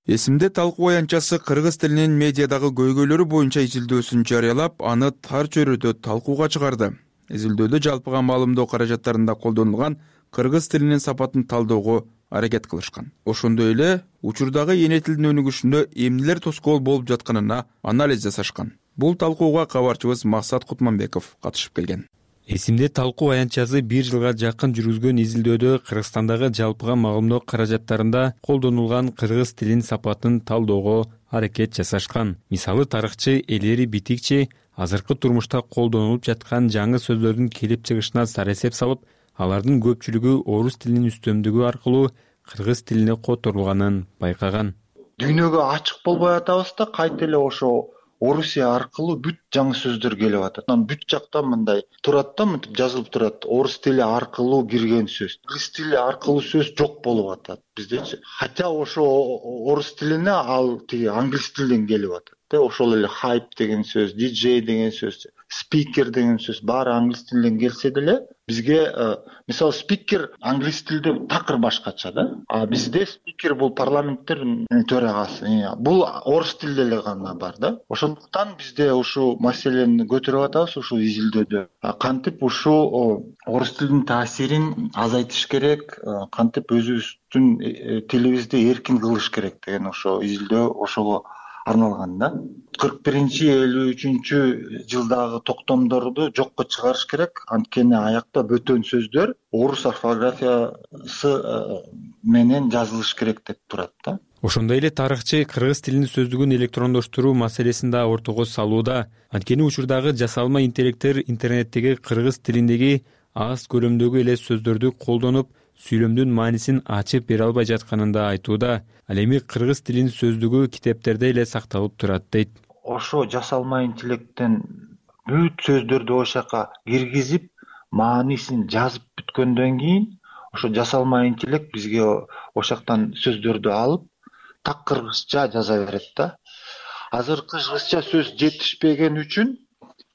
Эсимде талкуу аянтчасы кыргыз тилинин медиадагы көйгөйлөрү боюнча изилдөөсүн жарыялап, аны тар чөйрөдө талкууга чыгарды. Изилдөөдө жалпыга маалымдоо каражаттарында колдонулган кыргыз тилинин сапатын талдөөгө аракет кылышкан. Ошондой эле учурдагы эне тилдин өнүгүшүндө эмнелер тоскоол болуп жатканына анализ жасашкан. Бул талкууга кабарчыбыз Максат Кутманбеков катышып келген. Эсимде талкуу аянтчасы бир жылга жакын жүргүзгөн изилдөөдө Кыргызстандагы жалпыга маалымдоо каражаттарында колдонулган кыргыз тилинин сапатын талдөөгө аракет жасашкан. Мисалы, тарыхчы Элери Битикчи азыркы турмушта колдонулуп жаткан жаңы сөздөрдүн келип чыгышына сар эсеп салып, алардын көпчүлүгү орус тилинин үстөмдүгү аркылуу кыргыз тилине которулганын байкаган. Дүйнөгө ачык болбой атабыз да, кайта эле ошо Орусия аркылуу бүт жаңы сөздөр келип атат. Анан бүт жакта мындай турат да, мынтип жазылып турат. Орус тили аркылуу кирген сөз. Кыргыз тили аркылуу сөз жок болуп атат биздечи. Хотя ошо орус тилине ал тиги англис тилден келип атат. Ошол эле хайп деген сөз, диджей деген сөз, спикер деген сөз баары англис тилден келсе деле, бизге мисалы спикер англис тилде такыр башкача да. А бизде спикер бул парламенттин төрагасы. Бул орус тилде эле гана бар да. Ошондуктан бизде ушул маселени көтөрүп атабыз ушул изилдөөдө. Кантип ушул орус тилдин таасирин азайтыш керек, кантип өзүбүздүн тилибизди эркин кылыш керек деген ошо изилдөө ошого арналган да. кырк биринчи элүү үчүнчү жылдагы токтомдорду жокко чыгарыш керек. Анткени аякта бөтөн сөздөр орус орфографиясы менен жазылыш керек деп турат да. Ошондой эле тарыхчы кыргыз тилинин сөздүгүн электрондоштуруу маселесин да ортого салууда. Анткени учурдагы жасалма интеллекттер интернеттеги кыргыз тилиндеги аз көлөмдөгү эле сөздөрдү колдонуп, сүйлөмдүн маанисин ачып бере албай жатканын да айтууда. Ал эми кыргыз тилинин сөздүгү китептерде эле сакталып турат дейт. Ошо жасалма интеллекттен бүт сөздөрдү ошака киргизип, маанисин жазып бүткөндөн кийин, ошо жасалма интеллект бизге ошактан сөздөрдү алып, так кыргызча жаза берет да. Азыр кыргызча сөз жетишпеген үчүн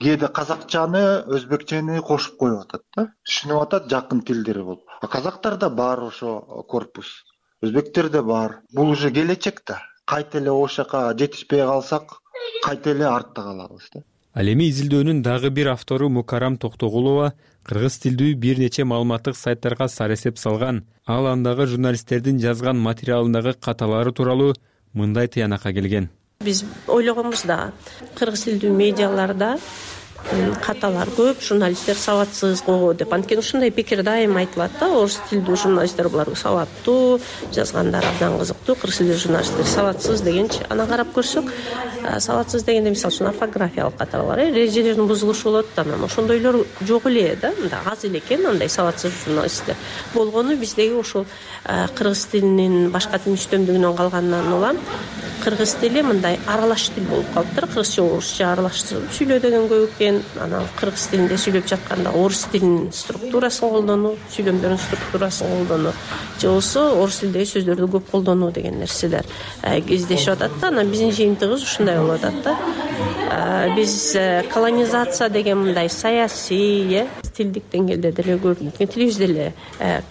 кээде казакчаны өзбекчени кошуп коюп атат да, түшүнүп атат жакын тилдери болуп. А казактарда бар ошо корпус, өзбектерде бар. Бул уже келечек да. Кайта эле ошол жака жетишпей калсак, кайта эле артта калабыз да. Ал эми изилдөөнүн дагы бир автору Мукарам Токтогулова кыргыз тилдүү бир нече маалыматтык сайттарга саресеп салган. Ал андагы журналисттердин жазган материалындагы каталары тууралуу мындай тыянакка келген. Биз ойлогонбуз да, кыргыз тилдүү медиаларда каталар көп, журналисттер сабатсыз го деп. Анткени ушундай пикир дайым айтылат да, орус тилдүү журналисттер булар сабаттуу, жазгандары абдан кызыктуу, кыргыз тилдүү журналисттер сабатсыз дегенчи. Анан карап көрсөк, сабатсыз дегенде мисалы үчүн орфографиялык каталар бар, эрежелердин бузулушу болот, анан ошондойлор жок эле да, мындай аз эле экен андай сабатсыз журналисттер. Болгону биздеги ушул кыргыз тилинин башка тилдин үстөмдүгүнөн калганынан улам кыргыз тили мындай аралаш тил болуп калыптыр. Кыргызча орусча аралашып сүйлөө деген көп экен. Анан кыргыз тилинде сүйлөп жатканда орус тилинин структурасын колдонуу, сүйлөмдөрдүн структурасын колдонуу, же болбосо орус тилдеги сөздөрдү көп колдонуу деген нерселер кездешип атат да. Анан биздин жыйынтыгыбыз ушундай болуп атат да. Биз колонизация деген мындай саясий, э, тилдик деңгээлде деле көрүнөт. Тилибиз деле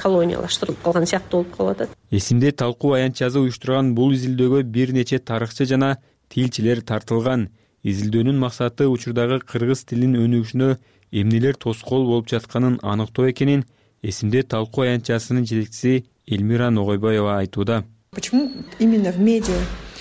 колониялаштырылып калган сыяктуу болуп калып атат. Эсимде талкуу аянтчасы уюштурган бул изилдөөгө бир нече тарыхчы жана тилчилер тартылган. Изилдөөнүн максаты учурдагы кыргыз тилинин өнүгүшүнө эмнелер тоскоол болуп жатканын аныктоо экенин Эсимде талкуу аянтчасынын жетекчиси Элмира Ногойбаева айтууда. Почему именно в медиа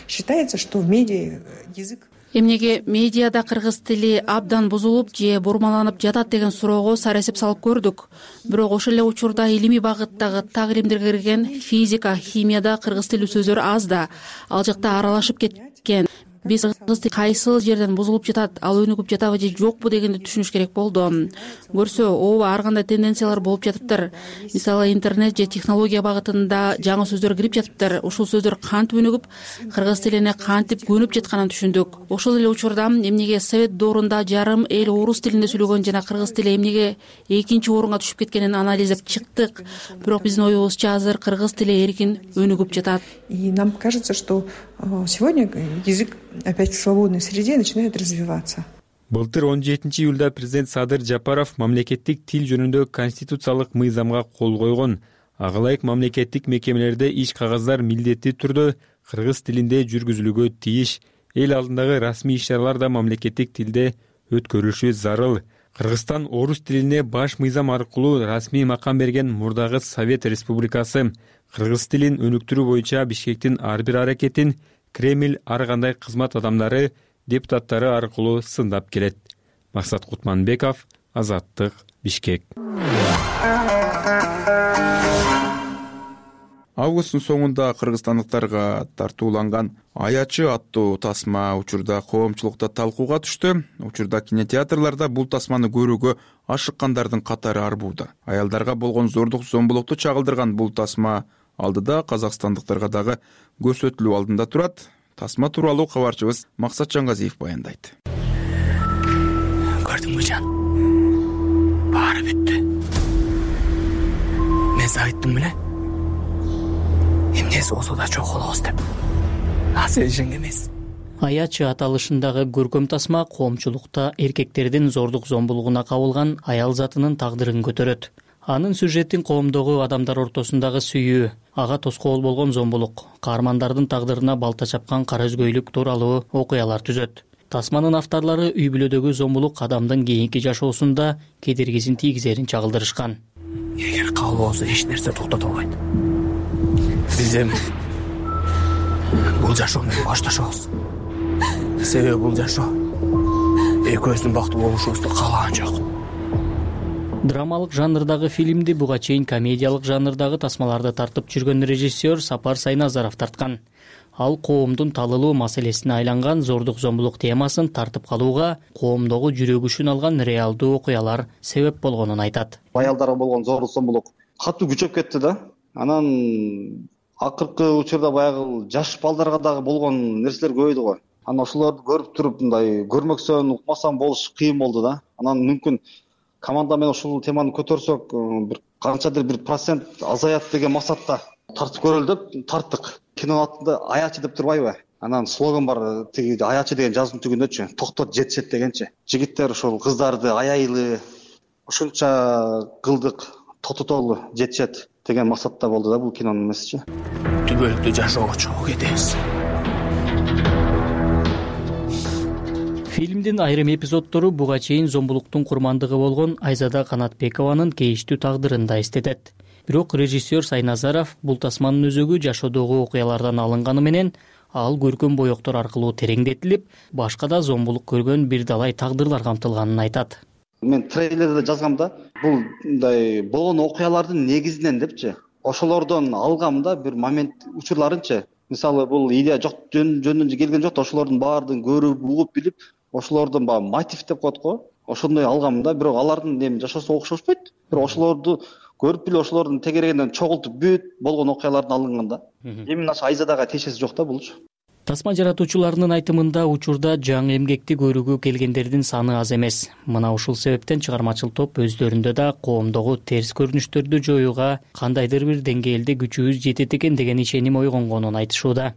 считается, что в медиа язык Эмнеге медиада кыргыз тили абдан бузулуп же бурмаланып жатат деген суроого саресип салып көрдүк. Бирок ошол эле учурда илимий багыттагы так илимдерге кирген физика, химияда кыргыз тилүү сөздөр аз да, ал жакта аралашып кеткен. Биз кыргыз тили кайсыл жерден бузулуп жатат, ал өнүгүп жатабы же жокпу дегенди түшүнүш керек болду. Көрсө, ооба ар кандай тенденциялар болуп жатыптыр. Мисалы, интернет же технология багытында жаңы сөздөр кирип жатыптыр. Ушул сөздөр кантип өнүгүп, кыргыз тилине кантип көнүп жатканын түшүндүк. Ошол эле учурда эмнеге совет доорунда жарым эл орус тилинде сүйлөгөн жана кыргыз тили эмнеге экинчи орунга түшүп кеткенин анализдеп чыктык. Бирок биздин оюбузча азыр кыргыз тили эркин өнүгүп жатат. И нам кажется, что сегодня язык опять в свободной среде начинает развиваться. Былтыр он жетинчи июлда президент Садыр Жапаров мамлекеттик тил жөнүндө конституциялык мыйзамга кол койгон. Ага ылайык мамлекеттик мекемелерде иш кагаздар милдеттүү түрдө кыргыз тилинде жүргүзүлүүгө тийиш. Эл алдындагы расмий иш-чаралар да мамлекеттик тилде өткөрүлүшү зарыл. Кыргызстан орус тилине баш мыйзам аркылуу расмий макам берген мурдагы Совет Республикасы. Кыргыз тилин өнүктүрүү боюнча Бишкектин ар бир аракетин Кремль ар кандай кызмат адамдары, депутаттары аркылуу сындап келет. Максат Кутманбеков, Азаттык, Бишкек. Августтун соңунда кыргызстандыктарга тартууланган Аячы аттуу тасма учурда коомчулукта талкууга түштү. Учурда кинотеатрларда бул тасманы көрүүгө ашыккандардын катары арбууда. Аялдарга болгон зордук зомбулукту чагылдырган бул тасма алдыда казакстандыктарга дагы көрсөтүлүү алдында турат. Тасма тууралуу кабарчыбыз Максат Жангазиев баяндайт. Көрдүңбү жан? Баары бүттү. Мен айттым беле. Эмнеси болсо да чок болобуз деп. А сен ишенген эмес. Аячы аталышындагы көркөм тасма коомчулукта эркектердин зордук зомбулугуна кабылган аял затынын тагдырын көтөрөт. Анын сюжетин коомдогу адамдар ортосундагы сүйүү, ага тоскоол болгон зомбулук, каармандардын тагдырына балта чапкан кара өзгөйлүк тууралуу окуялар түзөт. Тасманын авторлору үй бүлөдөгү зомбулук адамдын кийинки жашоосунда кедергисин тийгизерин чагылдырышкан. Эгер кабыл болсо эч нерсе токтото албайт. Биз эми бул жашоо менен башташабыз. Себеби бул жашоо экөөбүздүн бактылуу болушубузду каалаган жок. Драмалык жанрдагы фильмди буга чейин комедиялык жанрдагы тасмаларды тартып жүргөн режиссер Сапар Сайназаров тарткан. Ал коомдун талылуу маселесине айланган зордук зомбулук темасын тартып калууга коомдогу жүрөгүшүн алган реалдуу окуялар себеп болгонун айтат. Аялдарга болгон зордук зомбулук катуу күчөп кетти да. Анан акыркы учурда баягы жаш балдарга дагы болгон нерселер көбөйдү го. Анан ошолорду көрүп туруп мындай көрмөксөн, укмасаң болуш кыйын болду да. Анан мүмкүн команда менен ушул теманы көтөрсөк, бир канчадыр бир процент азаят деген максатта тартып көрөлү деп тарттык. Кинонун атында Аячы деп турбайбы? Анан слоган бар, тиги аячы деген жазуунун түгүндөчү, токтот жетишет дегенчи. Жигиттер ушул кыздарды аяйлы ушунча кылдык, тототолу жетишет деген максатта болду да бул кинонун эмесичи. Түбөлүктүү жашоого чогуу кетебиз. Фильмдин айрым эпизоддору буга чейин зомбулуктун курмандыгы болгон Айзада Канатбекованын кейиштүү тагдырын да эстетет. Бирок режиссер Сайназаров бул тасманын өзөгү жашоодогу окуялардан алынганы менен ал көркөм боектор аркылуу тереңдетилип, башка да зомбулук көргөн бир далай тагдырлар камтылганын айтат. Мен трейлерде жазгам да, бул мындай болгон окуялардын негизинен депчи, ошолордон алгам да бир момент учурларынчы. Мисалы бул идея жок жөнүнөн келген жок да, ошолордун баардыгын көрүп, угуп билип, ошолордун баягы мотив деп коет го, ошондой алгам да. Бирок алардын эми жашоосу окшошпойт. Бирок ошолорду көрүп билип, ошолордун тегерегинен чогултуп бүт болгон окуялардан алынган да. Эми ошо Айзадага тиешеси жок да булчу. Тасма жаратуучуларынын айтымында учурда жаңы эмгекти көрүүгө келгендердин саны аз эмес. Мына ушул себептен чыгармачыл топ өздөрүндө да коомдогу терс көрүнүштөрдү жоюуга кандайдыр бир деңгээлде күчүбүз жетет экен деген ишеним ойгонгонун айтышууда.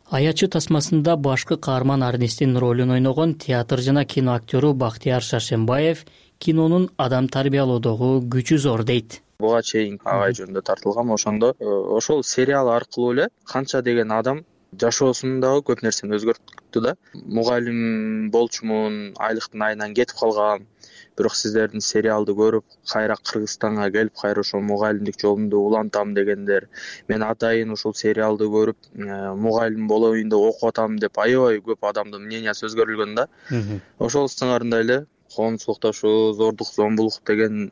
Аячы тасмасында башкы каарман Арнестин ролун ойногон театр жана кино актёру Бактияр Шаршембаев кинонун адам тарбиялоодогу күчү зор дейт. Буга чейин агай жөнүндө тартылгам, ошондо ошол сериал аркылуу эле канча деген адам жашоосундагы көп нерсени өзгөрттү да. Мугалим болчумун, айлыктын айынан кетип калгам. Бирок сиздердин сериалды көрүп, кайра Кыргызстанга келип, кайра ошол мугалимдик жолумду улантам дегендер. Мен атайын ушул сериалды көрүп, мугалим болоюн деп окуп атам деп аябай көп адамдын мнениясы өзгөрүлгөн да. Ошол сыңарында эле коомчулукта зордук, зомбулук деген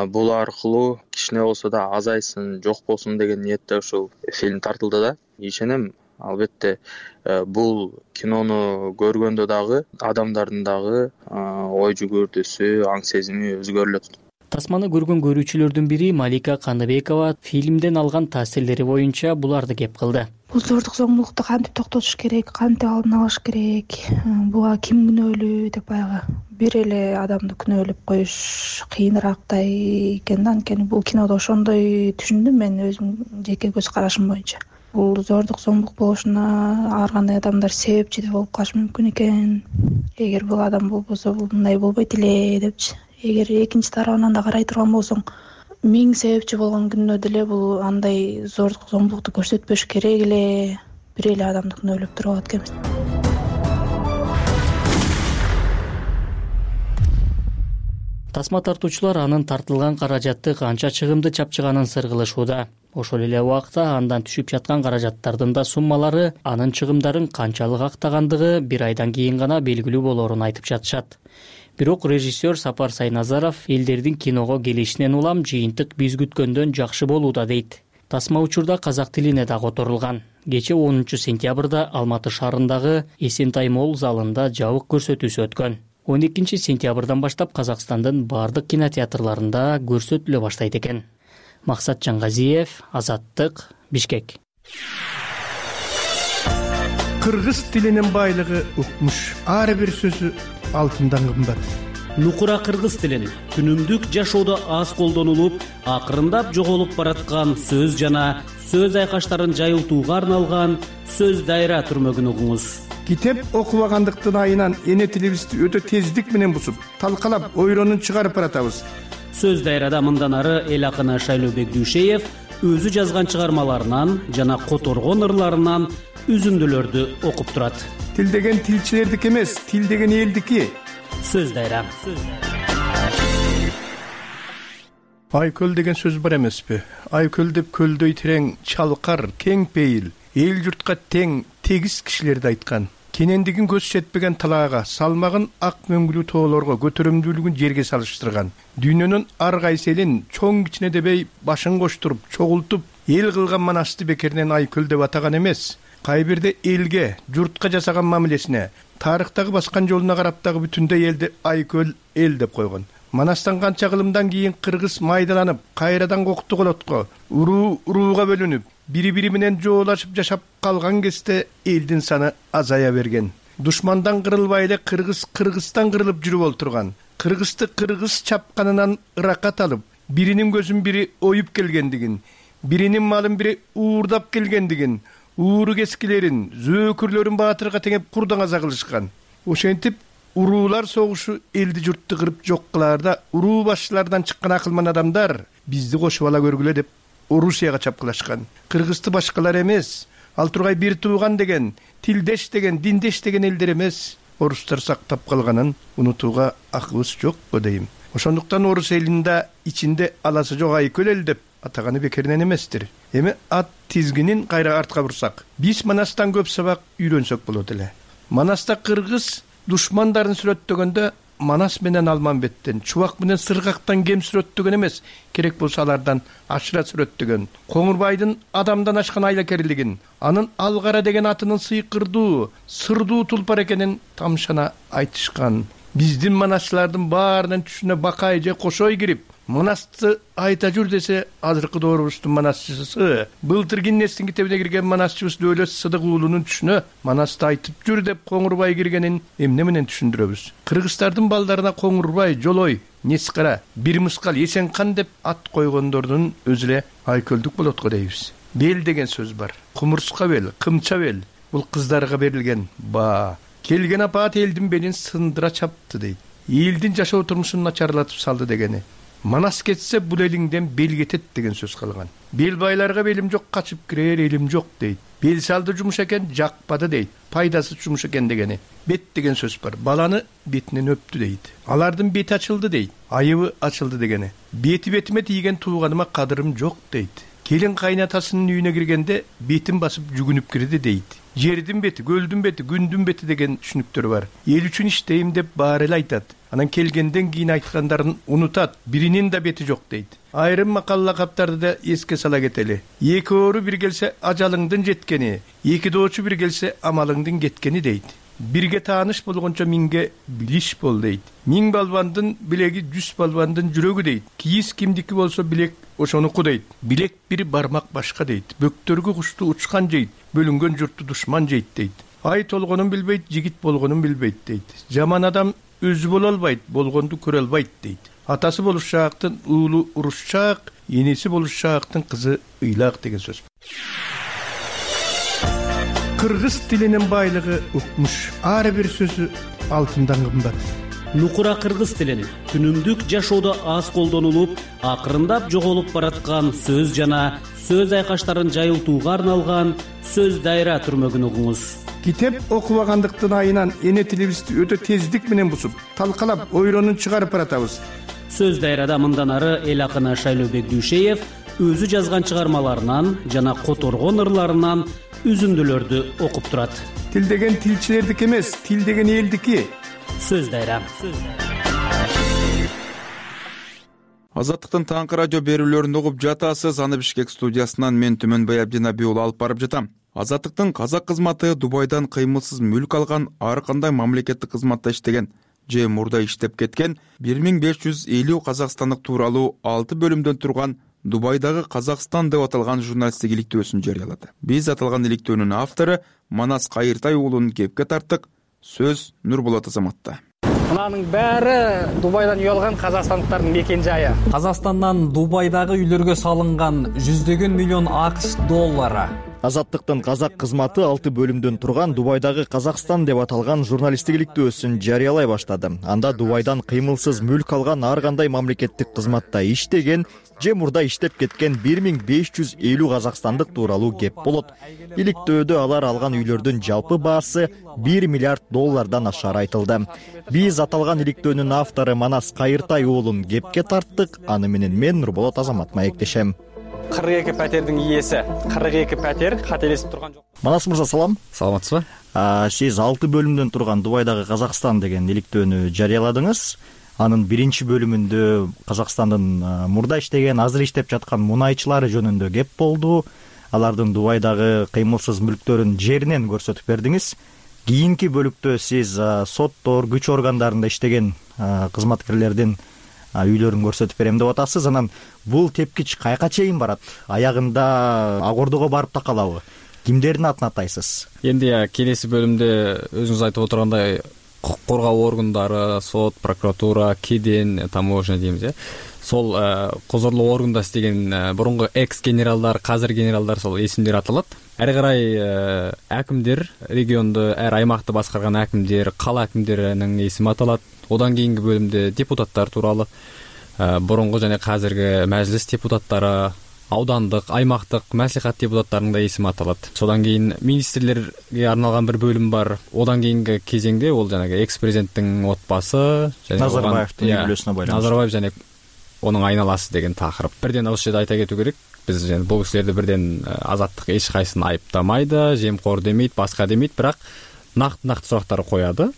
бул аркылуу кичине болсо да азайсын, жок болсун деген ниетте ушул фильм тартылды да. Ишенем, албетте бул кинону көргөндө дагы адамдардын дагы ой жүгүртүүсү, аң сезими өзгөрүлөт. Тасманы көргөн көрүүчүлөрдүн бири Малика Каныбекова фильмден алган таасирлери боюнча буларды кеп кылды. Бул зордук, зомбулукту кантип токтотуш керек, кантип алдын алыш керек, буга ким күнөөлүү деп баягы бир эле адамды күнөөлөп коюш кыйынырактай экен да. Анткени бул кинодо ошондой түшүндүм мен өзүм жеке көз карашым боюнча. Бул зордук, зомбулук болушуна ар кандай адамдар себепчи да болуп калышы мүмкүн экен. Эгер бул адам болбосо бул мындай болбойт эле депчи. Эгер экинчи тарабынан да карай турган болсоң, миң себепчи болгон күндө деле бул андай зордук, зомбулукту көрсөтпөш керек эле, бир эле адамды күнөөлөп туруп алат экенбиз. Тасма тартуучулар анын тартылган каражатты канча чыгымды чапчыганын сыргылышууда. Ошол эле убакта андан түшүп жаткан каражаттардын да суммалары анын чыгымдарын канчалык актагандыгы бир айдан кийин гана белгилүү болоорун айтып жатышат. Бирок режиссер Сапар Сайназаров элдердин киного келишинен улам жыйынтык биз күткөндөн жакшы болууда дейт. Тасма учурда казак тилине да которулган. Кечээ онунчу сентябрда Алматы шаарындагы Эсентай молл залында жабык көрсөтүүсү өткөн. он экинчи сентябрдан баштап Казакстандын бардык кинотеатрларында көрсөтүлө баштайт экен. Максат Жаңгазиев, Азаттык, Бишкек. Кыргыз тилинин байлыгы укмуш. Ар бир сөзү алтындан кымбат. Нукура кыргыз тилин күнүмдүк жашоодо аз колдонулуп, акырындап жоголуп бараткан сөз жана сөз айкаштарын жайылтууга арналган сөз дайра түрмөгүн угуңуз. Китеп окубагандыктын айынан эне тилибизди өтө тездик менен бусуп, талкалап, ойронун чыгарып баратабыз. Сөз дайрада мындан ары эл акыны Шайлообек Дүйшеев өзү жазган чыгармаларынан жана которгон ырларынан үзүндүлөрдү окуп турат. Тил деген тилчилердики эмес, тил деген элдики. Сөз дайра. Айкөл деген сөз бар эмеспи? Айкөл деп көлдөй терең, чалкар, кең пейил, эл журтка тең, тегиз кишилерди айткан. Кенендигин көз жетпеген талаага, салмагын ак мөңгүлүү тоолорго, көтөрүмдүүлүгүн жерге салыштырган. Дүйнөнүн ар кайсы элин чоң кичине дебей башын коштуруп, чогултуп, эл кылган манасты бекеринен айкөл деп атаган эмес. Кай бирде элге, журтка жасаган мамилесине, тарыхтагы баскан жолуна карап дагы бүтүндөй элди айкөл эл деп койгон. Манастан канча кылымдан кийин кыргыз майдаланып, кайрадан кокту колотко, уруу урууга бөлүнүп, бири-бири менен жоолашып жашап калган кезде элдин саны азая берген. Душмандан кырылбай эле кыргыз Кыргызстан кырылып жүрүп олтурган. Кыргызды кыргыз чапканынан ыракат алып, биринин көзүн бири оюп келгендигин, биринин малын бири уурдап келгендигин, ууру кескилерин, зөөкүрлөрүн баатырга теңеп курдан аза кылышкан. Ошентип уруулар согушу элди журтту кырып жок кылаарда уруу башчылардан чыккан акылман адамдар бизди кошуп ала көргүлө деп Орусияга чапкылашкан. Кыргызды башкалар эмес, ал тургай бир тууган деген, тилдеш деген, диндеш деген элдер эмес, орустар сактап калганын унутууга акыбыз жок го дейм. Ошондуктан орус элинде ичинде аласы жок айкөл эл деп атаганы бекеринен эместир. Эми ат тизгинин кайра артка бурсак, биз Манастан көп сабак үйрөнсөк болот эле. Манаста кыргыз душмандарын сүрөттөгөндө Манас менен Алманбеттен, Чубак менен Сыргактан кем сүрөттөгөн эмес, керек болсо алардан ашыра сүрөттөгөн. Коңурбайдын адамдан ашкан айлакерлигин, анын Алгара деген атынын сыйкырдуу, сырдуу тулпар экенин тамшана айтышкан. Биздин манасчылардын баарынын түшүнө бакай же кошой кирип, Манасты айта жүр десе, азыркы доорубуздун манасчысы, былтыр Гиннестин китебине кирген манасчыбыз Дөөлөт Сыдык уулунун түшүнө Манасты айтып жүр деп Коңурбай киргенин эмне менен түшүндүрөбүз? Кыргыздардын балдарына Коңурбай, Жолой, Нескара, Бир Мыскал, Эсенкан деп ат койгондордун өзү эле айкөлдүк болот го дейбиз. Бел деген сөз бар. Кумурска бел, кымча бел. Бул кыздарга берилген баа. Келген апаат элдин белин сындыра чапты дейт. Элдин жашоо турмушун начарлатып салды дегени. Манас кетсе бул элиңден бел кетет деген сөз калган. Бел байларга белим жок, качып кирер элим жок дейт. Бел салды жумуш экен, жакпады дейт. Пайдасы жумуш экен дегени. Бет деген сөз бар. Баланы бетинен өптү дейт. Алардын бети ачылды дейт. Айыбы ачылды дегени. Бети бетиме тийген тууганыма кадырым жок дейт. Келин кайнатасынын үйүнө киргенде бетин басып жүгүнүп кирди дейт. Жердин бети, көлдүн бети, күндүн бети деген түшүнүктөр бар. Эл үчүн иштейм деп баары эле айтат. Анан келгенден кийин айткандарын унутат. Биринин да бети жок дейт. Айрым макал лакаптарды да эске сала кетели. Эки оору бир келсе ажалыңдын жеткени, эки доочу бир келсе амалыңдын кеткени дейт. Бирге тааныш болгончо миңге билиш бол дейт. Миң балбандын билеги жүз балбандын жүрөгү дейт. Кийиз кимдики болсо билек ошонуку дейт. Билек бир бармак башка дейт. Бөктөргө кушту учкан жейт, бөлүнгөн журтту душман жейт дейт. Ай толгонун билбейт, жигит болгонун билбейт дейт. Жаман адам өзү боло албайт, болгонду көрө албайт дейт. Атасы болушаактын уулу урушчаак, энеси болушаактын кызы ыйлак деген сөз. Кыргыз тилинин байлыгы укмуш. Ар бир сөзү алтындан кымбат. Нукура кыргыз тилин күнүмдүк жашоодо аз колдонулуп, акырындап жоголуп бараткан сөз жана сөз айкаштарын жайылтууга арналган сөз дайра түрмөгүн угуңуз. Китеп окубагандыктын айынан эне тилибизди өтө тездик менен бусуп, талкалап, ойронун чыгарып баратабыз. Сөз дайрада мындан ары эл акыны Шайлообек Дүйшеев өзү жазган чыгармаларынан жана которгон ырларынан үзүндүлөрдү окуп турат. Тил деген тилчилердики эмес, тил деген элдики. Сөз дайра. Азаттыктын таңкы радио берүүлөрүн угуп жатасыз. Аны Бишкек студиясынан мен Түмөнбай Абдинабий уулу алып барып жатам. Азаттыктын казак кызматы Дубайдан кыймылсыз мүлк алган, ар кандай мамлекеттик кызматта иштеген же мурда иштеп кеткен бир миң беш жүз элүү казакстандык тууралуу алты бөлүмдөн турган Дубайдагы Казакстан деп аталган журналисттик иликтөөсүн жарыялады. Биз аталган иликтөөнүн автору Манас Кайыртай уулун кепке тарттык. Сөз Нурболот Азаматта. Мынанын баары Дубайдан үй алган казакстандыктардын мекен жайы. Казакстандан Дубайдагы үйлөргө салынган жүздөгөн миллион АКШ доллары. Азаттыктын казак кызматы алты бөлүмдөн турган Дубайдагы Казакстан деп аталган журналисттик иликтөөсүн жарыялай баштады. Анда Дубайдан кыймылсыз мүлк алган ар кандай мамлекеттик кызматта иштеген же мурда иштеп кеткен бир миң беш жүз элүү казакстандык тууралуу кеп болот. Иликтөөдө алар алган үйлөрдүн жалпы баасы бир миллиард доллардан ашары айтылды. Биз аталган иликтөөнүн автору Манас Кайыртай уулун кепке тарттык. Аны менен мен Нурболот Азамат маектешем. кырк эки пәтердин ээси, кырк эки пәтер кателесип турган жок. Манас мырза, салам. Саламатсызбы? Сиз алты бөлүмдөн турган Дубайдагы Казакстан деген иликтөөнү жарыяладыңыз. Анын биринчи бөлүмүндө Казакстандын мурда иштеген, азыр иштеп жаткан мунайчылары жөнүндө кеп болду. Алардын Дубайдагы кыймылсыз мүлктөрүн жеринен көрсөтүп бердиңиз. Кийинки бөлүктө сиз соттор, күч органдарында иштеген кызматкерлердин үйлөрүн көрсөтүп берем деп атасыз. Анан бул тепкич кайка чейин барат? Аягында ак ордого барып такалабы? Кимдердин атын атайсыз? Энди келеси бөлүмдө өзүңүз айтып отургандай укук коргоо органдары, сот, прокуратура, кеден, таможня деймиз, э. Сол козорлоо органда иштеген мурунку экс генералдар, казыр генералдар сол эсимдер аталат. ары карай акимдер, регионду, ар аймакты башкарган акимдер, кала акимдеринин эсими аталат. Одан кийинки бөлүмдө депутаттар тууралуу, борунку жана казирки мажлис депутаттары, аудандык, аймактык маслихат депутаттарынын да эсими аталат. Содан кийин министрлерге арналган бир бөлүм бар. Одан кийинки кезеңде ол жанагы экс-президенттин отбасы, Назарбаевдин үй бүлөсүнө байланыштуу. Назарбаев жана онун айналасы деген такырып. Бирден ошол жерде айта кетүү керек. Биз жана бул кишилерди бирден азаттык эч кайсын айыптамайды, жемкор демейт, башка демейт, бирок накт-накт сурактар коёду.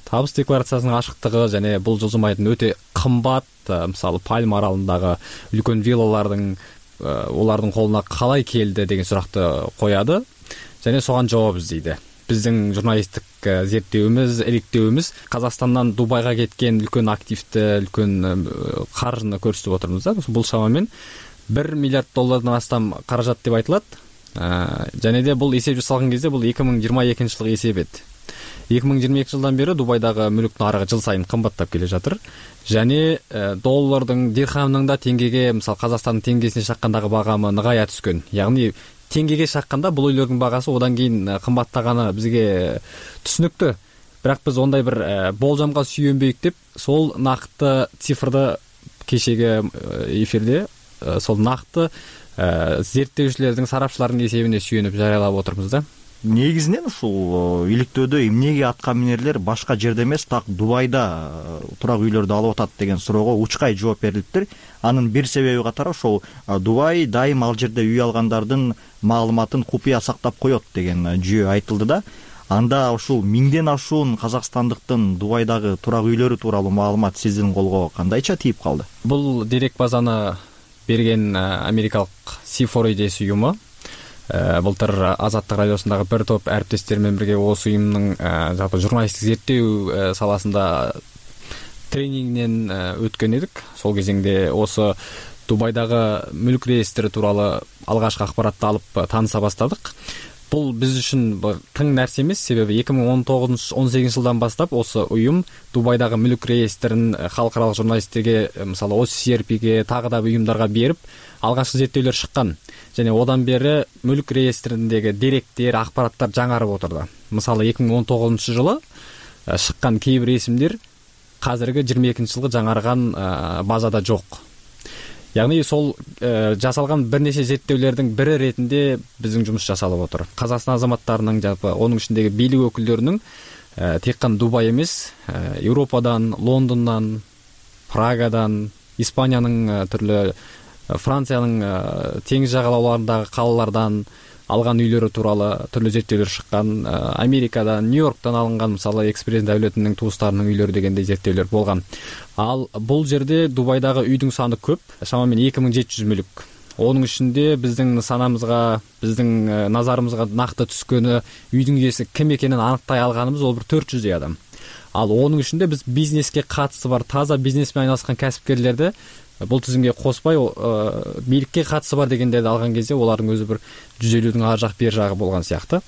Табыс декларациясынын ашыктыгы жана бул жылжымайдын өтө кымбат, мисалы Пальма аралындагы үлкөн виллалардын олардын колуна калай келди деген суракты коёду жана согон жооп издейди. Биздин журналисттик зерттөөбүз, иликтөөбүз Казакстандан Дубайга кеткен үлкөн активди, үлкөн каржыны көрсөтүп отурмуз да. Бул шамамен бир миллиард доллардан астам каражат деп айтылат. Жана де бул эсеп жасалган кезде бул эки миң жыйырма экинчи жылкы эсеп эт. эки миң жыйырма экинчи жылдан бери Дубайдагы мүлк нарыгы жыл сайын кымбаттап келе жатыр. Жана доллардын, дирхамдын да теңгеге, мисалы Казакстандын теңгесине шаккандагы багамы ныгая түскөн. Ягни теңгеге шакканда бул үйлөрдүн багасы одан кийин кымбаттаганы бизге түшүнүктүү. Бирок биз ондай бир болжомго сүйөнбөйүк деп, сол накты цифрды кечеги эфирде сол накты зерттөөчүлөрдүн, сарапчылардын эсебине сүйөнүп жарыялап отурмуз да. Негизинен ушул иликтөөдө эмнеге атка минерлер башка жерде эмес, так Дубайда турак үйлөрдү алып атат деген суроого учкай жооп берилиптир. Анын бир себеби катары ошол Дубай дайым ал жерде үй алгандардын маалыматын купуя сактап коет деген жүйө айтылды да. Анда ушул миңден ашуун казакстандыктын Дубайдагы турак үйлөрү тууралуу маалымат сиздин колго кандайча тийип калды? Бул дерек базаны берген америкалык си фор и дейс уюму. Былтыр Азаттык радиосундагы бир топ әріптестер менен бирге осы уюмдун жалпы журналисттик зерттөө саласында тренингинен өткөн эдик. Сол кезеңде осы Дубайдагы мүлк реестри тууралуу алгачкы акпаратты алып тааныса баштадык. Бул биз үчүн тың нерсе эмес, себеби эки миң он тогузунчу он сегизинчи жылдан баштап осы уюм Дубайдагы мүлк реестрин халкаралык журналисттерге, мисалы о си эр пиге, тагы да уюмдарга берип, алгачкы зерттөөлөр чыккан. Жана одан бери мүлк реестриндеги деректер, акпараттар жаңарып отурду. Мисалы эки миң он тогузунчу жылы чыккан кээ бир эсимдер азыркы жыйырма экинчи жылкы жаңарган базада жок. Ягни сол жасалган бир нече зерттөөлөрдүн бири иретинде биздин жумуш жасалып отур. Казакстан азаматтарынын, жалпы онун ичиндеги бийлик өкүлдөрүнүн тек гана Дубай эмес, Европадан, Лондондон, Прагадан, Испаниянын түрлүү, Франциянын теңиз жагалауларындагы калалардан алган үйлөрү тууралуу түрлүү зерттөөлөр чыккан. Америкадан, Нью-Йорктон алынган, мисалы экс-президент Давлетовдун туустарынын үйлөрү дегендей зерттөөлөр болгон. Ал бул жерде Дубайдагы үйдүн саны көп, шамамен эки миң жети жүз мүлк. Онун ичинде биздин санамызга, биздин назарыбызга накты түскөнү, үйдүн ээси ким экенин аныктай алганыбыз ол бир төрт жүздөй адам. Ал онун ичинде биз бизнеске катысы бар, таза бизнес менен айналышкан касипкерлерди бул тизимге коспой, бийликке катысы бар дегендерди алган кезде олардын өзү бир жүз элүүдүн ар жак бер жагы болгон сыяктуу.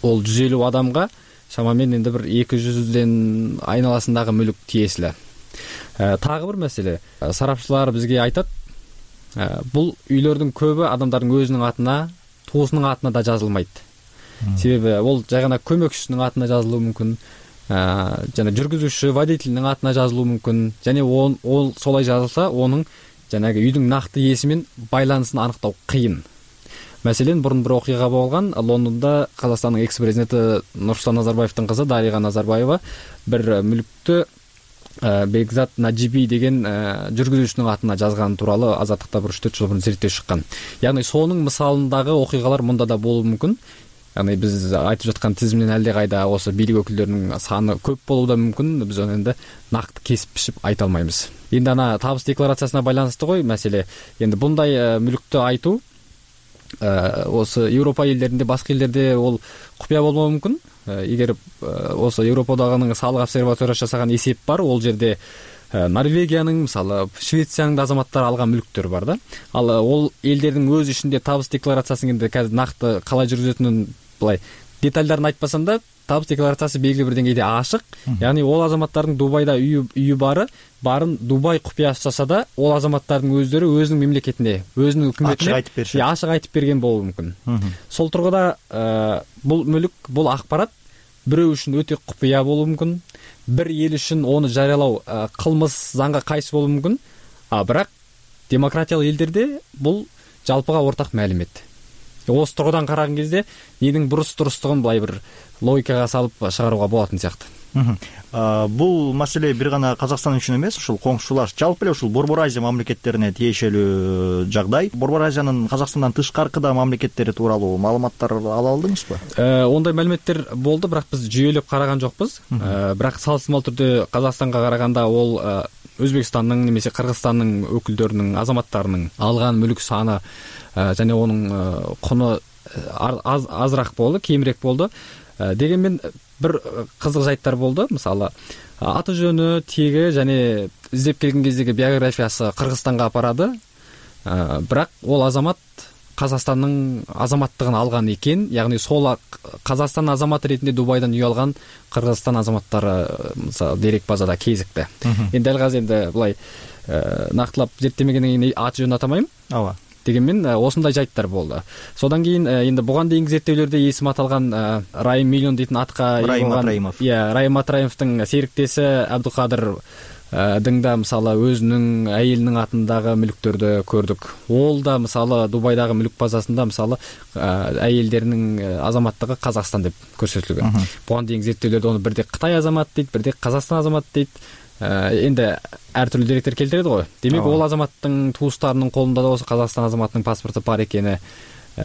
Ол жүз элүү адамга шамамен энди бир эки жүздөн айналасындагы мүлк тиесиле. Тагы бир маселе, сарапчылар бизге айтат, бул үйлөрдүн көбү адамдардын өзүнүн атына, туусунун атына да жазылмайт. Себеби ол жай гана көмөкчүсүнүн атына жазылуу мүмкүн, жана жүргүзүүчү, водителдин атына жазылуу мүмкүн. Жана ол солай жазылса, онун жанагы үйдүн накты ээси менен байланысын аныктоо кыйын. Маселен, бурун бир окуя болгон. Лондондо Казакстандын экс-президенти Нурсултан Назарбаевдин кызы Дарига Назарбаева бир мүлктү Бекзат Наджиби деген жүргүзүүчүнүн атына жазган тууралуу Азаттыкта бир үч төрт жыл мурун зерттөө чыккан. Ягни сонун мисалындагы окуялар мында да болуу мүмкүн. Ягни биз айтып жаткан тизимден алде кайда осы бийлик өкүлдөрүнүн саны көп болуу да мүмкүн. Биз аны энди накты кесип бишип айта албайбыз. Энди ана табыс декларациясына байланыштуу гой маселе. Энди мындай мүлктү айтуу осы Европа элдеринде, башка элдерде ол купуя болмоо мүмкүн. Эгер осы Европадагы салык обсерваториясы жасаган эсеп бар, ол жерде Норвегиянын, мисалы Швециянын азаматтары алган мүлктөр бар да. Ал ол элдердин өз ичинде табыс декларациясын энди казыр накты калай жүргүзөтүнүн былай детальдарын айтпасам да, табыс декларациясы белгилүү бир деңгейде ашык, яғни ол азаматтардын Дубайда үйү үйү бары баарын Дубай купуясы чачса да, ол азаматтардын өздөрү өзүнүн мемлекетине, өзүнүн өкмөтүнө ачык айтып беришет. Ачык айтып берген болушу мүмкүн. Сол тургуда бул мүлүк, бул акпарат бирөө үчүн өтө купуя болушу мүмкүн, бир эл үчүн оны жарыялоо кылмыш, заңга кайшы болушу мүмкүн. А бирок демократиялык элдерде бул жалпыга ортак маалимет. Осы тургудан караган кезде энин бурус турустугун былай бир логикага салып чыгарууга болотун сыяктуу. Бул маселе бир гана Казакстан үчүн эмес, ушул коңшулаш, жалпы эле ушул Борбор Азия мамлекеттерине тиешелүү жагдай. Борбор Азиянын Казакстандан тышкаркы да мамлекеттери тууралуу маалыматтар ала алдыңызбы? Ондай маалиметтер болду, бирок биз жүйөлөп караган жокпуз. Бирок салыстырмалуу түрдө Казакстанга караганда ол Өзбекстандын немесе Кыргызстандын өкүлдөрүнүн, азаматтарынын алган мүлүк саны жана онун куну азыраак болду, кемирээк болду. Дегенмен бир кызык жайттар болду. Мисалы, аты жөнү, теги жана издеп келген кездеги биографиясы Кыргызстанга апарады. Бирок ол азамат Казакстандын азаматтыгын алган экен, яғни сол Казакстан азаматы ретинде Дубайдан үй алган Кыргызстан азаматтары мисалы дерек базада кезикти. Эми дал азыр энди булай нактылап зерттемегенден кийин аты жөнүн атамайм. Ооба. Дегенмен осундай жайттар болду. Содан кийин энди буга дейинки зерттөөлөрдө эсим аталган Райым Миллион дейтин атка ээ болгон, иә, Райым Матраимовдун сериктеси Абдыкадыр дыңда мисалы өзүнүн айылынын атындагы мүлүктөрдү көрдүк. Ол да мисалы Дубайдагы мүлүк базасында мисалы айылдеринин азаматтыгы Казакстан деп көрсөтүлгөн. Буга дейинки зерттөөлөрдө оны бирде Кытай азаматы дейт, бирде Казакстан азаматы дейт. Энди ар түрдүү деректер келтирет го. Демек ол азаматтын туустарынын колунда да болсо Казакстан азаматынын паспорту бар экени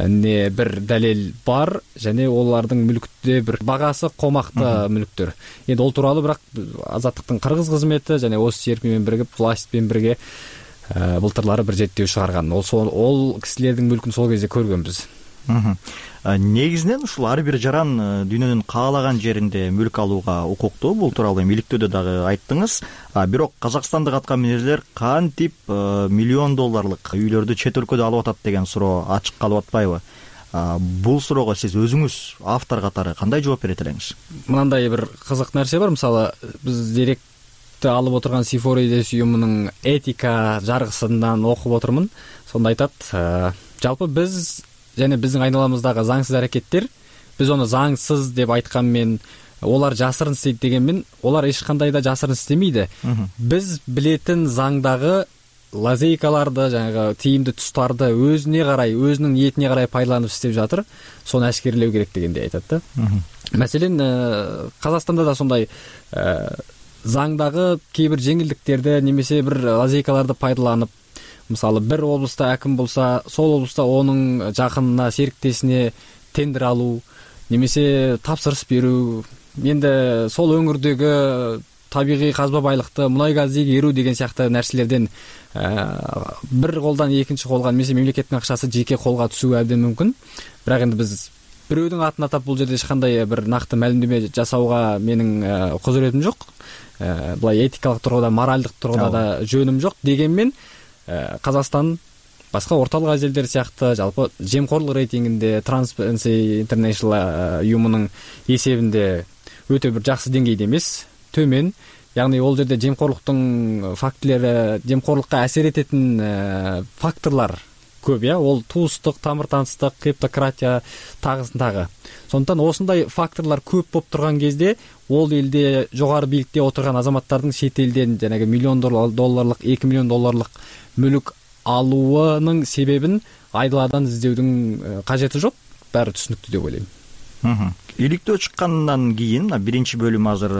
не бир далил бар, және олардың мүлікте бір бағасы қомақты мүліктер. Енді ол туралы бірақ Азаттықтың Қырғыз қызметі және осы серпімен бірігіп властьпен бірге былтырлары бір зерттеу шығарған. Ол ол кісілердің мүлкін сол кезде көргенбіз. Негизинен ушул ар бир жаран дүйнөнүн каалаган жеринде мүлк алууга укуктуу. Бул тууралуу иликтөөдө дагы айттыңыз. Бирок Казакстандык аткаминерлер кантип миллион долларлык үйлөрдү чет өлкөдө алып атат деген суроо ачык калып атпайбы? Бул суроого сиз өзүңүз автор катары кандай жооп берет элеңиз? Мындай бир кызык нерсе бар. Мисалы, биз деректи алып отурган Сифоридес уюмунун этика жаргысынан окуп отурмун. Сонда айтат, жалпы биз және биздин айналамыздагы заңсыз аракеттер, биз оны заңсыз деп айтканмен, олар жасырын істейт дегенмен, олар эч кандай да жасырын иштемейди. Биз билетин заңдагы лазейкаларды, жанагы тийимдүү тустарды өзүнө карай, өзүнүн ниетине карай пайдаланып иштеп жатыр. Сону ашкерлөө керек дегенди айтат да. Маселен, Казакстанда да сондай заңдагы кээ бир жеңилдиктерди немесе бир лазейкаларды пайдаланып, мисалы, бир облуста аким болса, сол облуста онун жакынына, сериктесине тендер алуу, немесе тапсырыс берүү, менде сол өңүрдөгү табигый казба байлыкты, мунай газ ийгерүү деген сыяктуу нерселерден бир колдон экинчи колго, немесе мемлекеттин акчасы жеке колго түшүү абдан мүмкүн. Бирок энди биз бирөөдүн атын атап бул жерде эч кандай бир накты маалимдеме жасауга менин козуретим жок. Булай этикалык тургуда, моралдык тургуда да жөнүм жок. Дегенмен Казакстан башка орталык азия элдери сыяктуу жалпы жемкорлук рейтингинде Transparency International уюмунун эсебинде өтө бир жакшы деңгейде эмес, төмөн. Яғни ол жерде жемкорлуктун фактилери, жемкорлукка асер этетин факторлор көп, я, ол туустук, тамыр таныстык, клептократия тагысын тагы. Сондықтан осындай факторлор көп болуп турган кезде ол элде жогору бийликте отурган азаматтардын шет элден жанагы миллион долларлык, эки миллион долларлык мүлүк алуунун себебин айдаладан издөөдүн кажети жок. Баары түшүнүктүү деп ойлойм. Иликтөө чыккандан кийин биринчи бөлүм азыр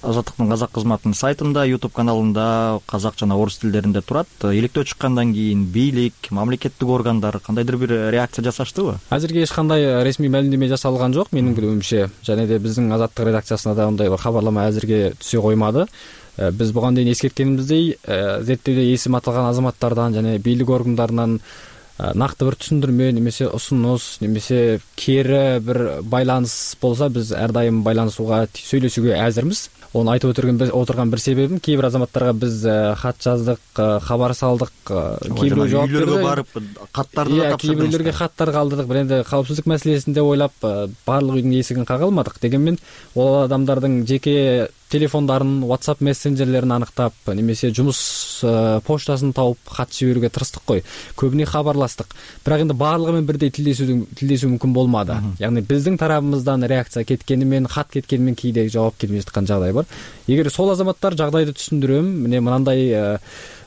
Азаттыктын казак кызматынын сайтында, YouTube каналында казак жана орус тилдеринде турат. Иликтөө чыккандан кийин бийлик, мамлекеттик органдар кандайдыр бир реакция жасаштыбы? Азыркы эч кандай ресми маалимдеме жасалган жок менин билүүмчө. Және де биздин Азаттык редакциясына да андай бир кабарлама азыркы түшө коймады. Биз буга дейин эскерткенибиздей, зерттөөдө эсим аталган азаматтардан жана бийлик органдарынан накты бир түшүндүрмө немесе усунуш немесе кээри бир байланыш болсо биз ар дайым байланышууга сүйлөшүүгө азырмыз. Ону айтып отурган бир себебим, кээ бир азаматтарга биз кат жаздык, кабар салдык, кээ бирөө жооп берди, үйлөргө барып каттарды да тапшырдык, кээ бирлерге каттар калдырдык. Бирок энди коопсуздук маселесин деп ойлоп баардык үйдүн эсигин кага алмадык. Дегенмен ол адамдардын жеке телефондарын, WhatsApp мессенджерлерин анықтап, немесе жумуш почтасын тауып кат жиберүүгө тырыштык кой. Көбүнө кабарлаштык. Бирок энди баардыгы менен бирдей тилдешүү тилдешүү мүмкүн болмады. Ягни биздин тарабыбыздан реакция кеткени менен, кат кеткени менен кийде жооп келбей жаткан жагдай бар. Эгер сол азаматтар жагдайды түшүндүрөм, мына мынандай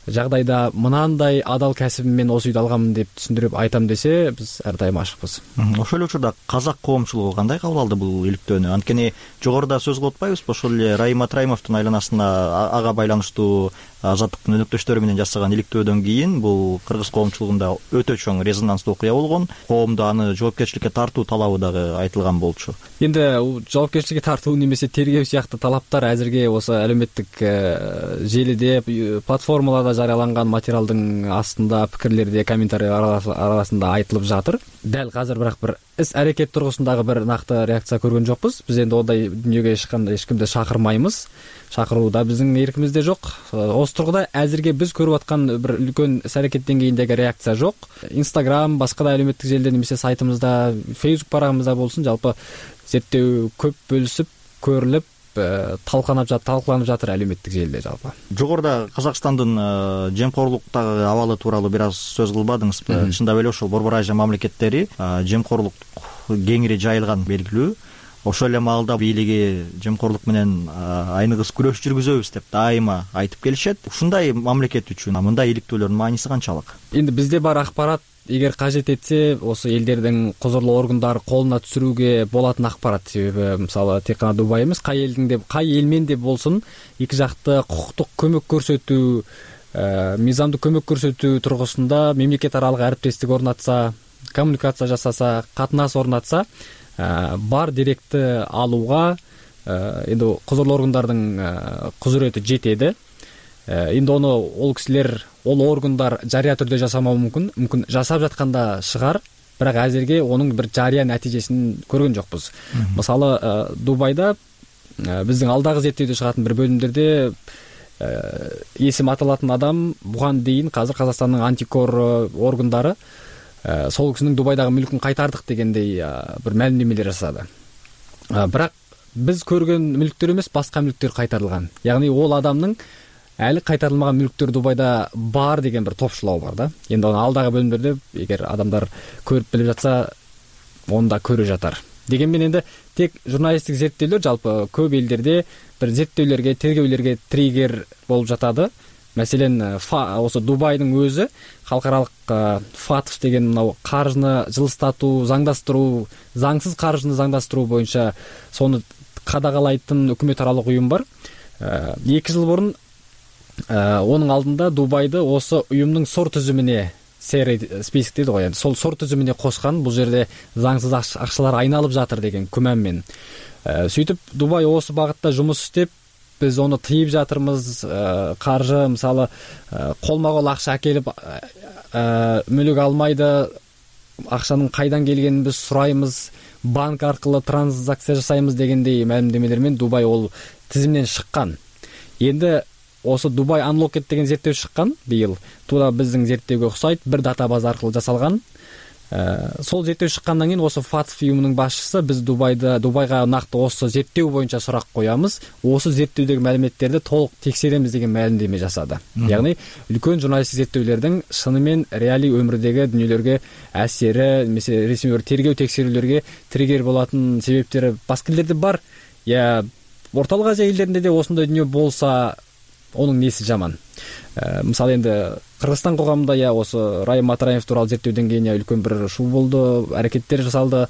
жагдайда мынандай адал касибим мен осы үйдү алганмын деп түшүндүрүп айтам десе, биз ар дайым ашыкпыз. Ошол эле учурда казак коомчулугу кандай кабыл алды бул иликтөөнү? Анткени жогоруда сөз кылып атпайбызбы, ошол эле Райым Атраимовдун айланасында ага байланыштуу Азаттыктын өнөктөштөрү менен жасаган иликтөөдөн кийин бул кыргыз коомчулугунда өтө чоң резонанстуу окуя болгон. Коомдо аны жоопкерчиликке тартуу талабы дагы айтылган болчу. Энди жоопкерчиликке тартуу немесе тергөө сыяктуу талаптар азырге осы әлеуметтик желиде, платформаларда жарыяланган материалдын астында, пикирлерде, комментарийлер арасында айтылып жатыр. Дәл азыр бирок бир іс әрекет тургусундагы бир накты реакция көргөн жокпуз. Биз энди ондай дүнүйгө эч кандай эч кимди шакырмайбыз. Шакыруу да биздин эркимизде жок. Осы тургуда азырге биз көрүп аткан бир үлкөн іс әрекет деңгээлиндеги реакция жок. Instagram, башка да әлеуметтик желиде немесе сайтымызда, Facebook барагымызда болсун, жалпы зерттөө көп бөлүсүп, көрүлүп, талкаланып жатыр, талкаланып жатыр әлеуметтик желиде жалпы. Жогоруда Казакстандын жемкорлуктагы абалы тууралуу бир аз сөз кылбадыңызбы? Чындап эле ошол Борбор Азия мамлекеттери жемкорлук кеңири жайылган белгилүү. Ошол эле маалда бийлиги жемкорлук менен айныгыс күрөш жүргүзөбүз деп дайыма айтып келишет. Ушундай мамлекет үчүн мындай иликтөөлөрдүн мааниси канчалык? Энди бизде бар акпарат, эгер кажет этсе, осы элдердин козорлоо органдары колуна түшүрүүгө болатын акпарат. Себеби мисалы тек гана Дубай эмес, кай элдин деп, кай эл менен деп болсун, эки жакты кукуктук көмөк көрсөтүү, мыйзамдык көмөк көрсөтүү тургусунда мамлекет аралык арбиттештик орнатса, коммуникация жасаса, катнаш орнатса, бар деректи алууга энди козорлоо органдардын кузурети жетеди. Энди ону ол кишилер, ол органдар жарыя түрдө жасамау мүмкүн, мүмкүн жасап жатканда шыгар, бирок азырге онун бир жарыя натыйжесин көргөн жокпуз. Мисалы Дубайда биздин алдагы зерттөөдө чыгатын бир бөлүмдөрдө эсим аталатын адам буган дейин азыр Казакстандын антикор органдары сол кишинин Дубайдагы мүлкүн кайтардык дегендей бир маалимдемелер жасады. Бирок биз көргөн мүлктөр эмес, башка мүлктөр кайтарылган. Ягни ол адамдын әлі кайтарылмаған мүліктер Дубайда бар деген бір топшылау бар да. Енді оны алдағы бөлімдерде егер адамдар көріп біліп жатса, оны да көріп жатар. Дегенмен енді тек журналистик зерттеулер жалпы көп елдерде бір зерттеулерге, тергеулерге триггер болып жатады. Мәселен, осы Дубайдың өзі халықаралық фатф деген мынау қаржыны жылыстату, заңдастыру, заңсыз қаржыны заңдастыру бойынша соны қадағалайтын үкіметаралық ұйым бар. Екі жыл бұрын оның алдында Дубайды осы ұйымның сор тізіміне, список дейді ғой, сол сор тізіміне қосқан, бұл жерде заңсыз ақшалар айналып жатыр деген күмәнмен. Сөйтіп Дубай осы бағытта жұмыс істеп, біз оны тыйып жатырмыз, қаржы мысалы қолма-қол ақша әкеліп мүлік алмайды, ақшаның қайдан келгенін біз сұраймыз, банк арқылы транзакция жасаймыз дегендей мәлімдемелермен Дубай ол тізімнен шыққан. Енді осы Дубай Unlocked деген зерттеу шыққан биыл. Тура біздің зерттеуге ұқсайды, бір датабаза арқылы жасалған. Сол зерттеу шыққаннан кейін осы фатф ұйымының басшысы біз Дубайда Дубайға нақты осы зерттеу бойынша сұрақ қоямыз, осы зерттеудегі мәліметтерді толық тексереміз деген мәлімдеме жасады. Яғни үлкен журналистик зерттеулердің шынымен реали өмірдегі дүниелерге әсері, немесе ресми тергеу тексерулерге триггер болатын себептері басқа елдерде бар. Я орталық Азия елдерінде де осындай дүние болса, оның несі жаман. Мысалы енді Кыргызстан қоғамында я осы Райым Атраимов туралы зерттеуден кейін үлкен бір шу болды, әрекеттер жасалды.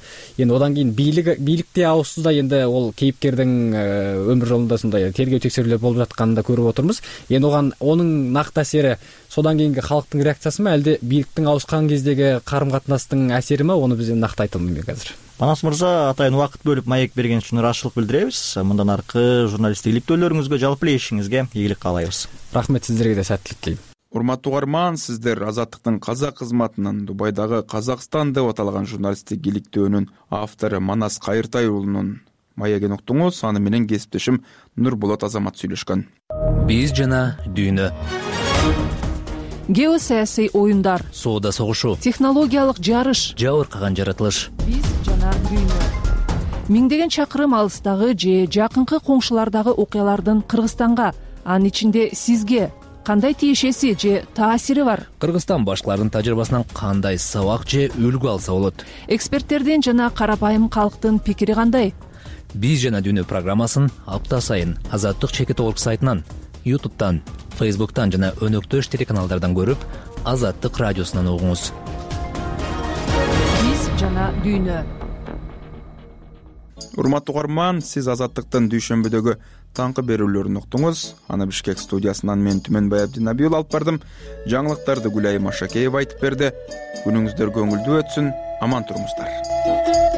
Енді одан кейін бийлик бийликте ауысты да, енді ол кейіпкердің өмір жолында сондай тергеу тексерулер болып жатқанын да көріп отырмыз. Енді оған оның нақты әсері содан кейінгі халықтың реакциясы ма, әлде бийликтің ауысқан кездегі қарым-қатынастың әсері ма, оны біз нақты айта алмаймын қазір. Манас мырза, атайын убакыт бөлүп маек берген үчүн ыраазычылык билдиребиз. Мындан аркы журналисттик иликтөөлөрүңүзгө, жалпы эле ишиңизге ийгилик каалайбыз. Рахмет, сиздерге да сәттілік тілеймін. урматтуу угарман, сиздер Азаттыктын казак кызматынын Дубайдагы Казакстан деп аталган журналисттик иликтөөнүн автору Манас Кайыртай уулунун маегин уктуңуз. Аны менен кесиптешим Нурболот Азамат сүйлөшкөн. Биз жана дүйнө. Геосаясий оюндар, соода согушу, технологиялык жарыш, жабыркаган жаратылыш. Биз жана дүйнө. Миңдеген чакырым алыстагы же жакынкы коңшулардагы окуялардын Кыргызстанга, анын ичинде сизге кандай тиешеси же таасири бар? Кыргызстан башкалардын тажрыйбасынан кандай сабак же үлгү алса болот? Эксперттердин жана карапайым калктын пикири кандай? Биз жана дүйнө программасын апта сайын Азаттык чекит орг сайтынан, ютубтан, фейсбуктан жана өнөктөш телеканалдардан көрүп, Азаттык радиосунан угуңуз. Биз жана дүйнө. Урматтуу угарман, сиз Азаттыктын дүйшөмбүдөгү таңкы берүүлөрүн уктуңуз. Аны Бишкек студиясынан мен Түмөнбай Абдинабиул алып бардым. Жаңылыктарды Гүлайым Ашакеева айтып берди. Күнүңүздөр көңүлдүү өтсүн, аман туруңуздар.